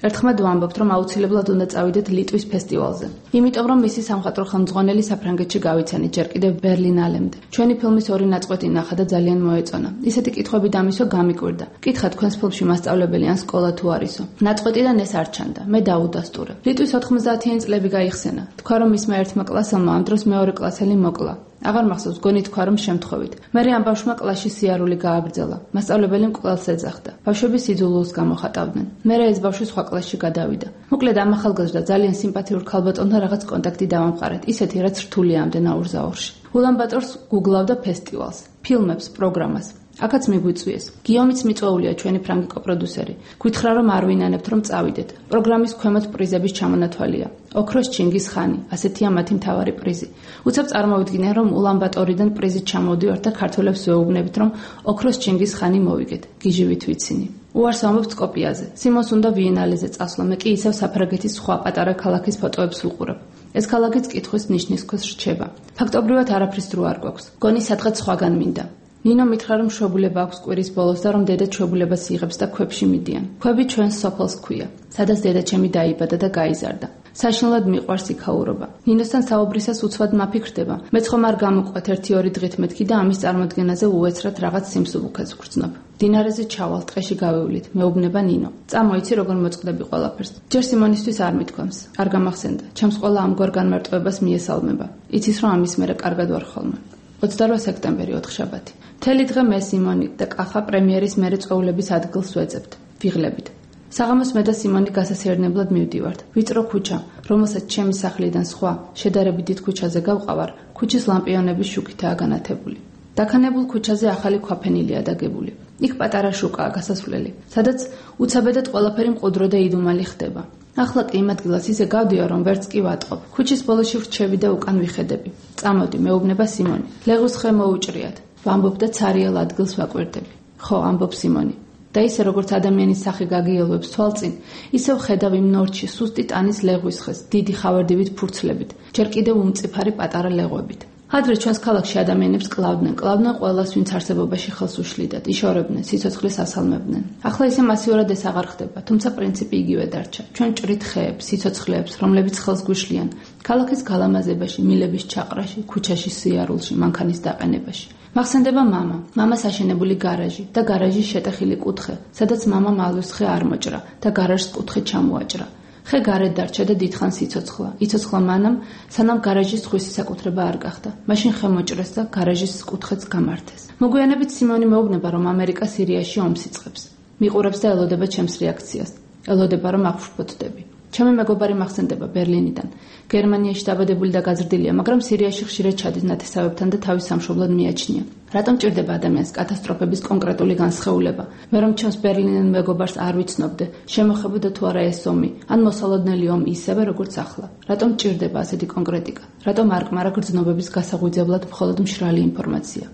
ერთხმად ვამბობთ, რომ აუცილებლად უნდა წავიდეთ ლიტვის ფესტივალზე. იმიტომ, რომ მისი სამხატვრო ხელმძღვანელი საფრანგეთში გავიცანით, ჯერ კიდევ ბერლინალემდე. ჩვენი ფილმის ორი ნაწყვეტი ნახა და ძალიან მოეწონა. ისეთი კითხვები დამისვა გამიკვირდა. კითხა თქვენს ფილმში მასწავლებელი ან სკოლა თუ არისო. ნაწყვეტიდან ეს არ ჩანდა. მე დაუდასტურე. ლიტვის ოთხმოცდაათიანი წლები გაიხსენა. თქვა, რომ მისმა ერთმა კლასელმა ამ დროს მეორე კლასელი მოკლა. აღარ მახსოვს, გონი თქვა, რომ შემთხვევით. მერე ამ ბავშვმა კლასში სიარული გააგრძელა. მასწავლებელი მკვლელს ეძახდა. ბავშვები სიძულულს გამოხატავდნენ. მერე ეს ბავშვი სხვა კლასში გადავიდა. მოკლედ ამ ახალგაზრდა ძალიან სიმპათიურ ქალბატონთან რაღაც კონტაქტი დავამყარეთ, ისეთი, რაც რთულია ამდენ აურზაურში. ულანბატორს გუგლავდა ფესტივალს, ფილმებს, პროგრამას. აქაც მიგვიწვიეს. გიომიც მიწვეულია ჩვენი ფრანგი კოპროდიუსერი. გითხრა რომ არ ვინანებთ რომ წავიდეთ. პროგრამის ქვემოთ პრიზების ჩამონათვალია. ოქროს ჩინგის ხანი, ასეთია მათი მთავარი პრიზი. უცებ წარმოვიდგინე რომ ულანბატორიდან პრიზით ჩამოვდივართ და ქართველებს ვეუბნებით რომ ოქროს ჩინგის ხანი მოვიგეთ. გიჟივით ვიცინი. უარს ამბობ სკოპიაზე. სიმონს უნდა ვიენალეზე წასვლა, მე კი ისევ საფრანგეთის სხვა პატარა ქალაქის ფოტოებს ვუყურებ. ეს ქალაქიც კითხვის ნიშნის ქვეშ რჩება. ფაქტობრივად არაფრის დრო არ გვაქვს. გონი სადღაც სხვაგან მინდა. ნინო მითხრა რომ მშობლება აქვს კვირის ბოლოს და რომ დედა ჩვეულებას იღებს და ქვებში მიდიან. ქვები ჩვენს სოფელს ქვია, სადაც დედაჩემი დაიბადა და გაიზარდა. საშინლად მიყვარს იქაურობა. ნინოსთან საუბრისას უცბად მაფიქრდება. მეც ხომ არ გამოყვეთ ერთი ორი დღით მეთქი და ამის წარმოდგენაზე უეცრად რაღაც სიმსუბუქეს ვგრძნობ. დინარეზე ჩავალ, ტყეში გავევლით, მეუბნება ნინო. წამოიცი როგორ მოწყდები ყველაფერს. ჯერ სიმონისთვის არ მithქვამს, არ გამახსენდა. ჩემს ყველა ამგვარ განმარტოებას მიესალმება. იცის რომ ამის მერე კარგად ვარ ხოლმე. ოცდარვა სექტემბერი ოთხშაბათი. მთელი დღე მე სიმონი და კახა პრემიერის მერე წვეულების ადგილს ვეძებთ. ვიღლებით. საღამოს მე და სიმონი გასასეირნებლად მივდივართ. ვიწრო ქუჩა, რომელსაც ჩემი სახლიდან სხვა, შედარებით დიდ ქუჩაზე გავყავარ, ქუჩის ლამპიონების შუქითაა განათებული. დაქანებულ ქუჩაზე ახალი ქვაფენილია დაგებული. იქ პატარა შუკაა გასასვლელი, სადაც უცაბედად ყველაფერი მყუდრო და იდუმალი ხდება. ახლა კი იმ ადგილას ისე გავდივარ, რომ ვერც კი ვატყობ. ქუჩის ბოლოში ვრჩები და უკან ვიხედები. წამოდი, მეუბნება სიმონი. ლეღვის ხე მოუჭრიათ. ვამბობ და ცარიელ ადგილს ვაკვირდები. ხო, ამბობ სიმონი. და ისე როგორც ადამიანის სახე გაგიელვებს თვალწინ, ისე ვხედავ იმ ნორჩი სუსტი ტანის ლეღვის ხეს, დიდი ხავერდივით ფურცლებით, ჯერ კიდევ უმწიფარი პატარა ლეღვებით. ადრე ჩვენს ქალაქში ადამიანებს კლავდნენ, კლავდნენ ყველას, ვინც არსებობაში ხელს უშლიდათ, იშორებდნენ, სიცოცხლეს ასალმებდნენ. ახლა ისე მასიურად ეს აღარ ხდება, თუმცა პრინციპი იგივე დარჩა. ჩვენ ჭრით ხეებს, სიცოცხლეებს, რომლებიც ხელს გვიშლიან, ქალაქის გალამაზებაში, მილების ჩაყრაში, ქუჩაში სიარულში, მანქანის დაყენებაში. მახსენდება მამა, მამას აშენებული გარაჟი და გარაჟის შეტეხილი კუთხე, სადაც მამა მალვის ხე არ მოჭრა და გარაჟს კუთხე ჩამოაჭრა. ხე გარეთ დარჩა და დიდხანს იცოცხლა. იცოცხლა მანამ, სანამ გარაჟის ხვისი საკუთრება არ გახდა. მაშინ ხე მოჭრეს და გარაჟის კუთხეც გამართეს. მოგვიანებით სიმონი მეუბნება, რომ ამერიკა სირიაში ომს იწყებს. მიყურებს და ელოდება ჩემს რეაქციას. ელოდება, რომ აღშფოთდები. ჩემი მეგობარი მახსენდება ბერლინიდან. გერმანიაში დაბადებული და გაზრდილია, მაგრამ სირიაში ხშირად ჩადის ნათესავებთან და თავის სამშობლოდ მიაჩნია. რატომ ჭირდება ადამიანს კატასტროფების კონკრეტული განსხეულება? მე რომ ჩემს ბერლინელ მეგობარს არ ვიცნობდე, შემოხებოდა თუ არა ეს ომი, ან მოსალოდნელი ომი ისევე როგორც ახლა. რატომ ჭირდება ასეთი კონკრეტიკა? რატომ არ კმარა გრძნობების გასაღვიძებლად მხოლოდ მშრალი ინფორმაცია?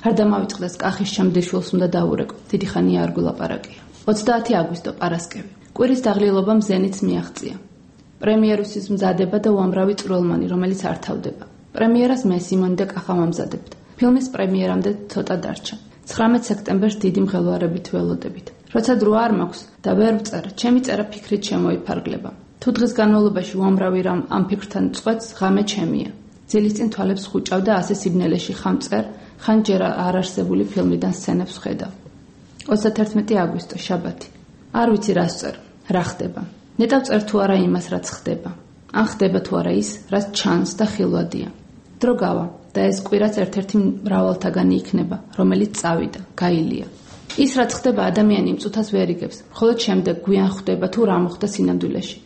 არ დამავიწყდეს კახის შემდეგ შულს უნდა დაურეკო. დიდი ხანია არ გულაპარაკია. ოცდაათი აგვისტო პარასკევი. კვირის დაღლილობამ ზენიტს მიაღწია. პრემიერუსის მზადება და უამრავი წვრილმანი, რომელიც არ თავდება. პრემიერას მე სიმონი და კახა ვამზადებთ. ფილმის პრემიერამდე ცოტა დარჩა. ცხრამეტ სექტემბერს დიდი მღელვარებით ველოდებით. როცა დრო არ მაქვს და ვერ ვწერ, ჩემი წერა ფიქრით შემოიფარგლება. თუ დღის განმავლობაში უამრავი რამ ამ ფიქრთან წყვეტს, ღამე ჩემია. ძილის წინ თვალებს ხუჭავ და ასე სიბნელეში ხან წერ, ხან ჯერ არ არსებული ფილმიდან სცენებს ვხედავ. ოცდათერთმეტი აგვისტო, შაბათი. არ ვიცი რას წერ, რა ხდება. ნეტავ წერ თუ არა იმას, რაც ხდება. ან ხდება თუ არა ის, რაც ჩანს და ხილვადია. დრო გავა და ეს კვირაც ერთ-ერთი მრავალთაგანი იქნება, რომელიც წავიდა, გაილია. ის რაც ხდება ადამიანი იმ წუთას ვერ იგებს, მხოლოდ შემდეგ გვიან ხვდება თუ რა მოხდა სინამდვილეში.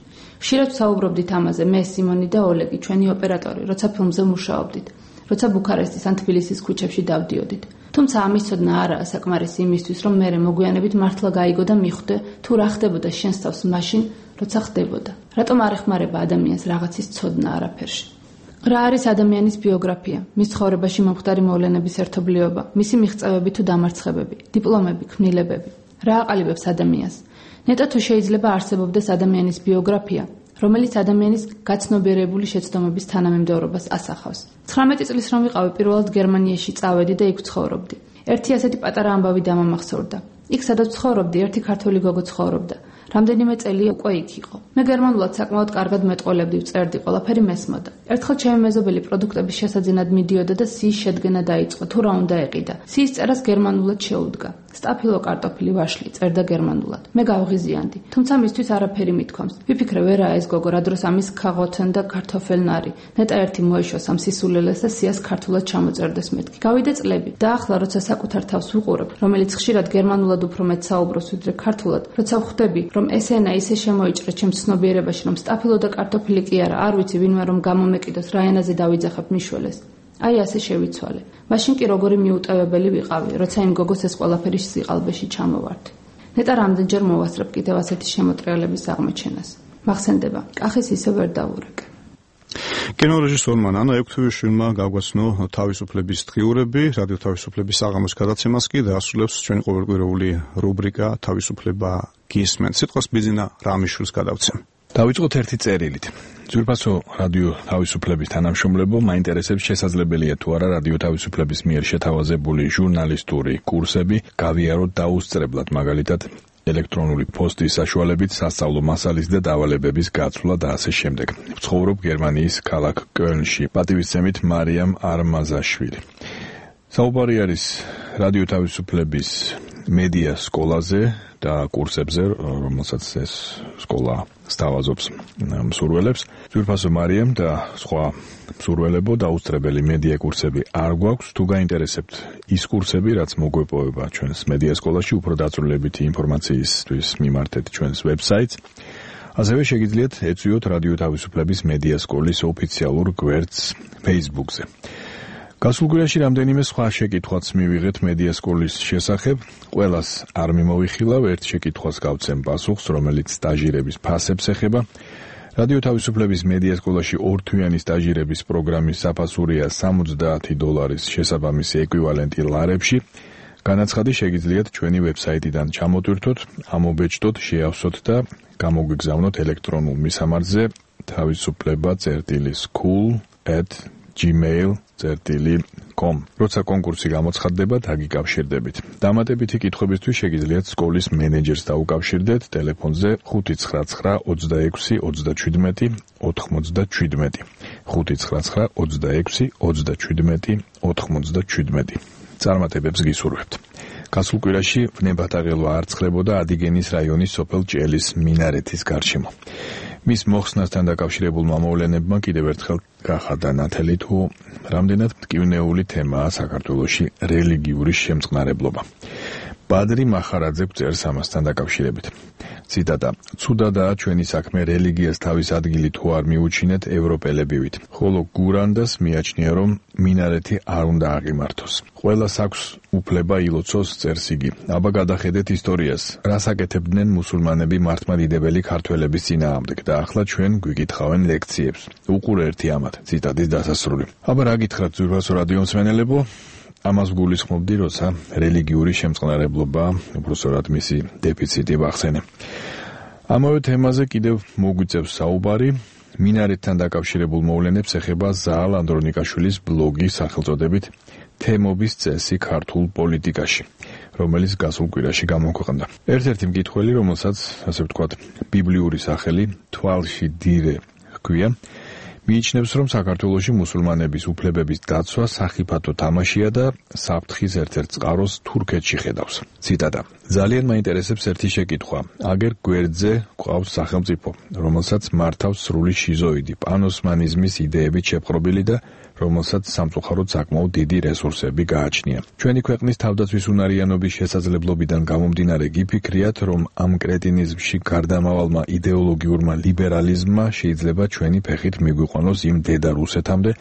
ხშირად საუბრობდით ამაზე მე, სიმონი და ოლეგი, ჩვენი ოპერატორი, როცა ფილმზე მუშაობდით, როცა ბუქარესტის ან თბილისის ქუჩებში დავდიოდით. თუმცა ამის ცოდნა არაა საკმარისი იმისთვის, რომ მე მოგويانებით მართლა გაიგო და მიხვდე თუ რა ხდებოდა შენს თავს მაშინ, როცა ხდებოდა. რატომ არ ეხმარება ადამიანს რაღაცის ცოდნა არაფერში? რა არის ადამიანის ბიოგრაფია, მის ცხოვრებაში მომხდარი მოვლენების ერთობლიობა, მისი მიღწევები თუ დამარცხებები, დიპლომები, ქმნილებები? რა აყალიბებს ადამიანს? ნეტო თუ შეიძლება არსებობდეს ადამიანის ბიოგრაფია, რომელიც ადამიანის გაცნობიერებული შეცდომების თანამიმდევრობას ასახავს. ცხრამეტი წლის რომ ვიყავი, პირველად გერმანიაში წავედი და იქ ცხოვრობდი. ერთი ასეთი პატარა ამბავი დამამახსოვრდა. იქ სადაც ცხოვრობდი, ერთი ქართველი გოგო ცხოვრობდა. რამდენიმე წელი უკვე იქ იყო. მე გერმანულად საკმაოდ კარგად მეტყოლებდი, ვწერდი, ყველაფერი მესმოდა. ერთხელ ჩემი მეზობელი პროდუქტების შესაძენად მიდიოდა და სიის შედგენა დაიწყო, თუ რა უნდა ეყიდა. სიის წერას გერმანულად შეუდგა. სტაფილო კარტოფილი ვაშლი, წერდა გერმანულად. მე გავღიზიანდი, თუმცა მისთვის არაფერი მithქვამს. ვიფიქრე, ვერაა ეს გოგო, რა დროს ამის ქაღოთენ და კარტოფელნარი. ნეტა ერთი მოეშოს ამ სისულელეს და სიას ქართულად ჩამოწერდეს მეთქი. გავიდა წლები და ახლა როცა საკუთარ თავს ვუყურებ, რომელიც ხშირად გერმანულად უფრო მეტ საუბრობს ვიდრე ქართულად, როცა ვხვდები, რომ ესენა ისე შემოიჭრა ჩემს ცნობიერებაში, რომ სტაფილო და კარტოფილი კი არა, არ ვიცი ვინმე რომ გამომეკიდოს, რა ენაზე დავიძახებ მიშველეს. აი ასე შევიცვალე. მაშინ კი როგორი მიუტევებელი ვიყავი, როცა იმ გოგოს ეს ყველაფერი სიყალბეში ჩამოვარდი. ნეტა რამდენჯერ მოვასწრებ კიდევ ასეთი შემოტრიალების აღმოჩენას. მახსენდება, კახის ისე ვერ დავურეკე. კინორეჟისორმა ნანა ექვთივიშვილმა გაგვაცნო თავისუფლების დღიურები, რადიო თავისუფლების საღამოს გადაცემას კი დაასრულებს ჩვენი ყოველკვირეული რუბრიკა თავისუფლება გისმენთ. სიტყვას ბიძინა რამიშვილს გადავცემ. დავიწყოთ ერთი წერილით. ძვირფასო რადიო თავისუფლების თანამშრომლებო, მაინტერესებს შესაძლებელია თუ არა რადიო თავისუფლების მიერ შეთავაზებული ჟურნალისტური კურსები გავიაროთ დაუსწრებლად, მაგალითად ელექტრონული პოსტის საშუალებით სასწავლო მასალის და დავალებების გაცვლა და ასე შემდეგ. ვცხოვრობ გერმანიის ქალაქ კölnში. პატივისცემით მარიამ არმაზაშვილი. საუბარი არის რადიო თავისუფლების მედია სკოლაზე და კურსებზე, რომელსაც ეს სკოლა სთავაზობს მსურველებს. ძვირფასო მარიამ და სხვა მსურველებო დაუსწრებელი მედია კურსები არ გვაქვს. თუ გაინტერესებთ ის კურსები, რაც მოგვეპოვება ჩვენს მედია სკოლაში, უფრო დაწვრილებითი ინფორმაციისთვის მიმართეთ ჩვენს ვებსაიტს. ასევე შეგიძლიათ ეწვიოთ რადიო თავისუფლების მედია სკოლის ოფიციალურ გვერდს Facebook-ზე. გასულ კვირაში რამდენიმე სხვა შეკითხვაც მივიღეთ მედია სკოლის შესახებ. ყველას არ მიმოვიხილავ, ერთ შეკითხვას გავცემ პასუხს, რომელიც სტაჟირების ფასებს ეხება. რადიო თავისუფლების მედია სკოლაში ორთვიანი სტაჟირების პროგრამის საფასურია სამოცდაათი დოლარის შესაბამისი ეკვივალენტი ლარებში. განაცხადი შეგიძლიათ ჩვენი ვებსაიტიდან ჩამოტვირთოთ, ამობეჭდოთ, შეავსოთ და გამოგვიგზავნოთ ელექტრონულ მისამართზე თავისუფლება წერტილი school at gmail dot com. როცა კონკურსი გამოცხადდება, დაგიკავშირდებით. დამატებითი კითხვებისთვის შეგიძლიათ სკოლის მენეჯერს დაუკავშირდეთ ტელეფონზე ხუთი ცხრა ცხრა ოცდაექვსი ოცდაჩვიდმეტი ოთხმოცდაჩვიდმეტი ხუთი ცხრა ცხრა ოცდაექვსი ოცდაჩვიდმეტი ოთხმოცდაჩვიდმეტი. წარმატებებს გისურვებთ. გასულ კვირაში ვნებათაღელვა არ ცხლებოდა ადიგენის რაიონის სოფელ ჭელის მინარეთის გარშემო. მის მოხსნასთან დაკავშირებულმა მოვლენებმა კიდევ ერთხელ გახადა ნათელი თუ რამდენად მტკივნეული თემაა საქართველოში რელიგიური შემწყნარებლობა. ბადრი მახარაძე წერს ამასთან დაკავშირებით. ციტატა: "ცუდადაა ჩვენი საქმე რელიგიას თავის ადგილი თუ არ მიუჩინეთ ევროპელებივით, ხოლო გურანდას მიაჩნია რომ მინარეთი არ უნდა აღიმართოს. ყველას აქვს უფლება ილოცოს", წერს იგი. "აბა გადახედეთ ისტორიას, რას აკეთებდნენ მუსულმანები მართლმადიდებელი ქართველების წინააღმდეგ და ახლა ჩვენ გვიკითხავენ ლექციებს. უყურე ერთი ამათ", ციტატის დასასრული. აბა რა გითხრათ ძვირფასო რადიო მსმენელებო? ამას გულისხმობდი, როცა რელიგიური შემწყნარებლობა, უბრალოდ მისი დეფიციტი ვახსენე. ამავე თემაზე კიდევ მოგვიწევს საუბარი. მინარეთთან დაკავშირებულ მოვლენებს ეხება ზაალ ანდრონიკაშვილის ბლოგი სახელწოდებით თემობის წესი ქართულ პოლიტიკაში, რომელიც გასულ კვირაში გამოქვეყნდა. ერთ-ერთი მკითხველი, რომელსაც, ასე ვთქვათ, ბიბლიური სახელი თვალში დირე ჰქვია, მიიჩნევს, რომ საქართველოში მუსულმანების უფლებების დაცვა სახიფათო თამაშია და საფრთხის ერთ-ერთ წყაროს თურქეთში ხედავს. ციტატა: "ძალიან მაინტერესებს ერთი შეკითხვა. აგერ გვერდზე გვყავს სახელმწიფო, რომელსაც მართავს სრული შიზოიდი, პანოსმანიზმის იდეებით შეპყრობილი და რომელსაც სამწუხაროდ საკმაოდ დიდი რესურსები გააჩნია. ჩვენი ქვეყნის თავდაცვის უნარიანობის შესაძლებლობიდან გამომდინარე გიფიქრიათ, რომ ამ კრეტინიზმში გარდამავალმა იდეოლოგიურმა ლიბერალიზმმა შეიძლება ჩვენი ფეხით მიგვიყვანოს იმ დედა რუსეთამდე,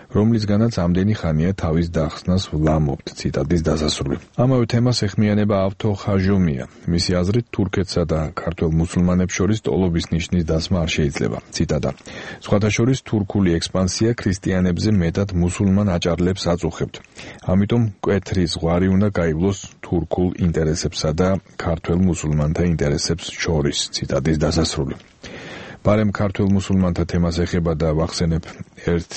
რომლისგანაც ამდენი ხანია თავის დახსნას ვლამობთ", ციტატის დასასრული. ამავე თემას ეხმიანება ავთო ხაჟომია. მისი აზრით, თურქეთსა და ქართველ მუსულმანებს შორის ტოლობის ნიშნის დასმა არ შეიძლება. ციტატა: "სხვათა შორის თურქული ექსპანსია ქრისტიანებზე მეტად მუსულმან აჭარლებს აწუხებთ. ამიტომ მკვეთრი ზღვარი უნდა გაივლოს თურქულ ინტერესებსა და ქართველ მუსულმანთა ინტერესებს შორის", ციტატის დასასრული. ბარემ ქართველ მუსულმანთა თემას ეხება და ვახსენებ ერთ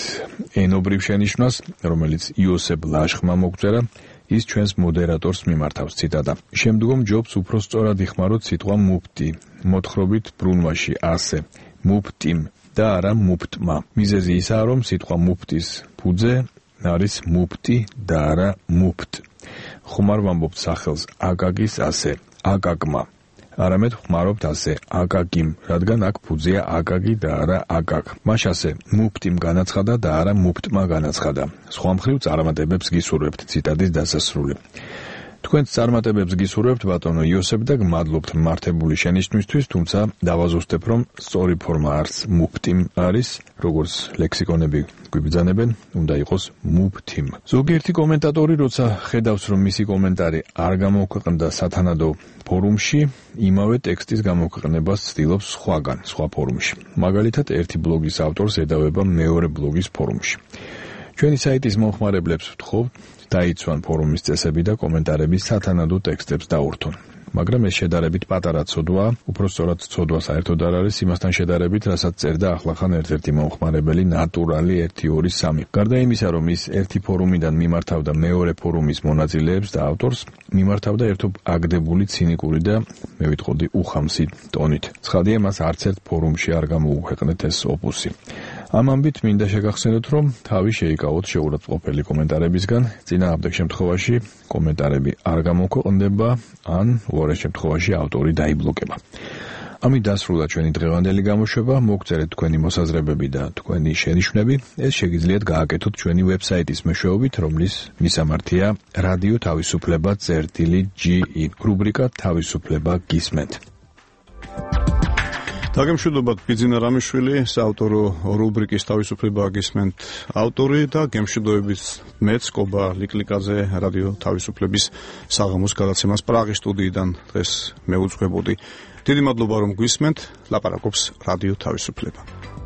ენობრივ შენიშვნას, რომელიც იოსებ ლაშხმა მოგწერა, ის ჩვენს მოდერატორს მიმართავს. ციტატა: "შემდგომ ჯობს უფრო სწორად იხმაროთ სიტყვა მუფტი, მოთხრობით ბრუნვაში ასე, მუფტიმ და არა მუფტმა. მიზეზი ისაა, რომ სიტყვა მუფტის ფუძე არის მუფტი და არა მუფტ. ხომ არ ვამბობთ სახელს აკაკის ასე, აკაკმა. არამედ ხმარობთ ასე აკაკიმ, რადგან აქ ფუძეა აკაკი და არა აკაკ. მაშ ასე მუფტიმ განაცხადა და არა მუფტმა განაცხადა. სხვა მხრივ წარმატებებს გისურვებთ", ციტატის დასასრული. თქვენს წარმატებებს გისურვებთ ბატონო იოსებ და გმადლობთ მართებული შენიშვნისთვის, თუმცა დავაზუსტებ, რომ სწორი ფორმა არც მუფტიმ არის, როგორც ლექსიკონები გვიბრძანებენ, უნდა იყოს მუფთიმ. ზოგიერთი კომენტატორი, როცა ხედავს, რომ მისი კომენტარი არ გამოქვეყნდა სათანადო ფორუმში, იმავე ტექსტის გამოქვეყნებას ცდილობს სხვაგან, სხვა ფორუმში. მაგალითად, ერთი ბლოგის ავტორს ედავება მეორე ბლოგის ფორუმში. ჩვენი საიტის მომხმარებლებს ვთხოვთ, დაიცვან ფორუმის წესები და კომენტარები სათანადო ტექსტებს დაურთონ. მაგრამ ეს შედარებით პატარა ცოდვაა, უფრო სწორად ცოდვა საერთოდ არ არის იმასთან შედარებით, რასაც წერდა ახლახან ერთ-ერთი მომხმარებელი ნატურალი ერთი ორი სამი. გარდა იმისა, რომ ის ერთი ფორუმიდან მიმართავდა მეორე ფორუმის მონაწილეებს და ავტორს, მიმართავდა ერთობ აგდებული ცინიკური და მე ვიტყოდი უხამსი ტონით. ცხადია, მას არც ერთ ფორუმში არ გამოუქვეყნეთ ეს ოპუსი. ამ ამბით მინდა შეგახსენოთ, რომ თავი შეიკავოთ შეურაცხმყოფელი კომენტარებისგან, წინააღმდეგ შემთხვევაში კომენტარები არ გამოქვეყნდება, ან უარეს შემთხვევაში ავტორი დაიბლოკება. ამით დასრულდა ჩვენი დღევანდელი გამოშვება, მოგწერეთ თქვენი მოსაზრებები და თქვენი შენიშვნები, ეს შეგიძლიათ გააკეთოთ ჩვენი ვებსაიტის მეშვეობით, რომლის მისამართია რადიო თავისუფლება წერტილი ჯი ი, რუბრიკა თავისუფლება გისმენთ. დაგემშვიდობათ ბიძინა რამიშვილი, საავტორო რუბრიკის თავისუფლება გისმენთ ავტორი და გემშვიდობებით მეც კობა ლიკლიკაძე რადიო თავისუფლების საღამოს გადაცემას პრაღის სტუდიიდან დღეს მეუძღვებოდი. დიდი მადლობა რომ გვისმენთ, ლაპარაკობს რადიო თავისუფლება.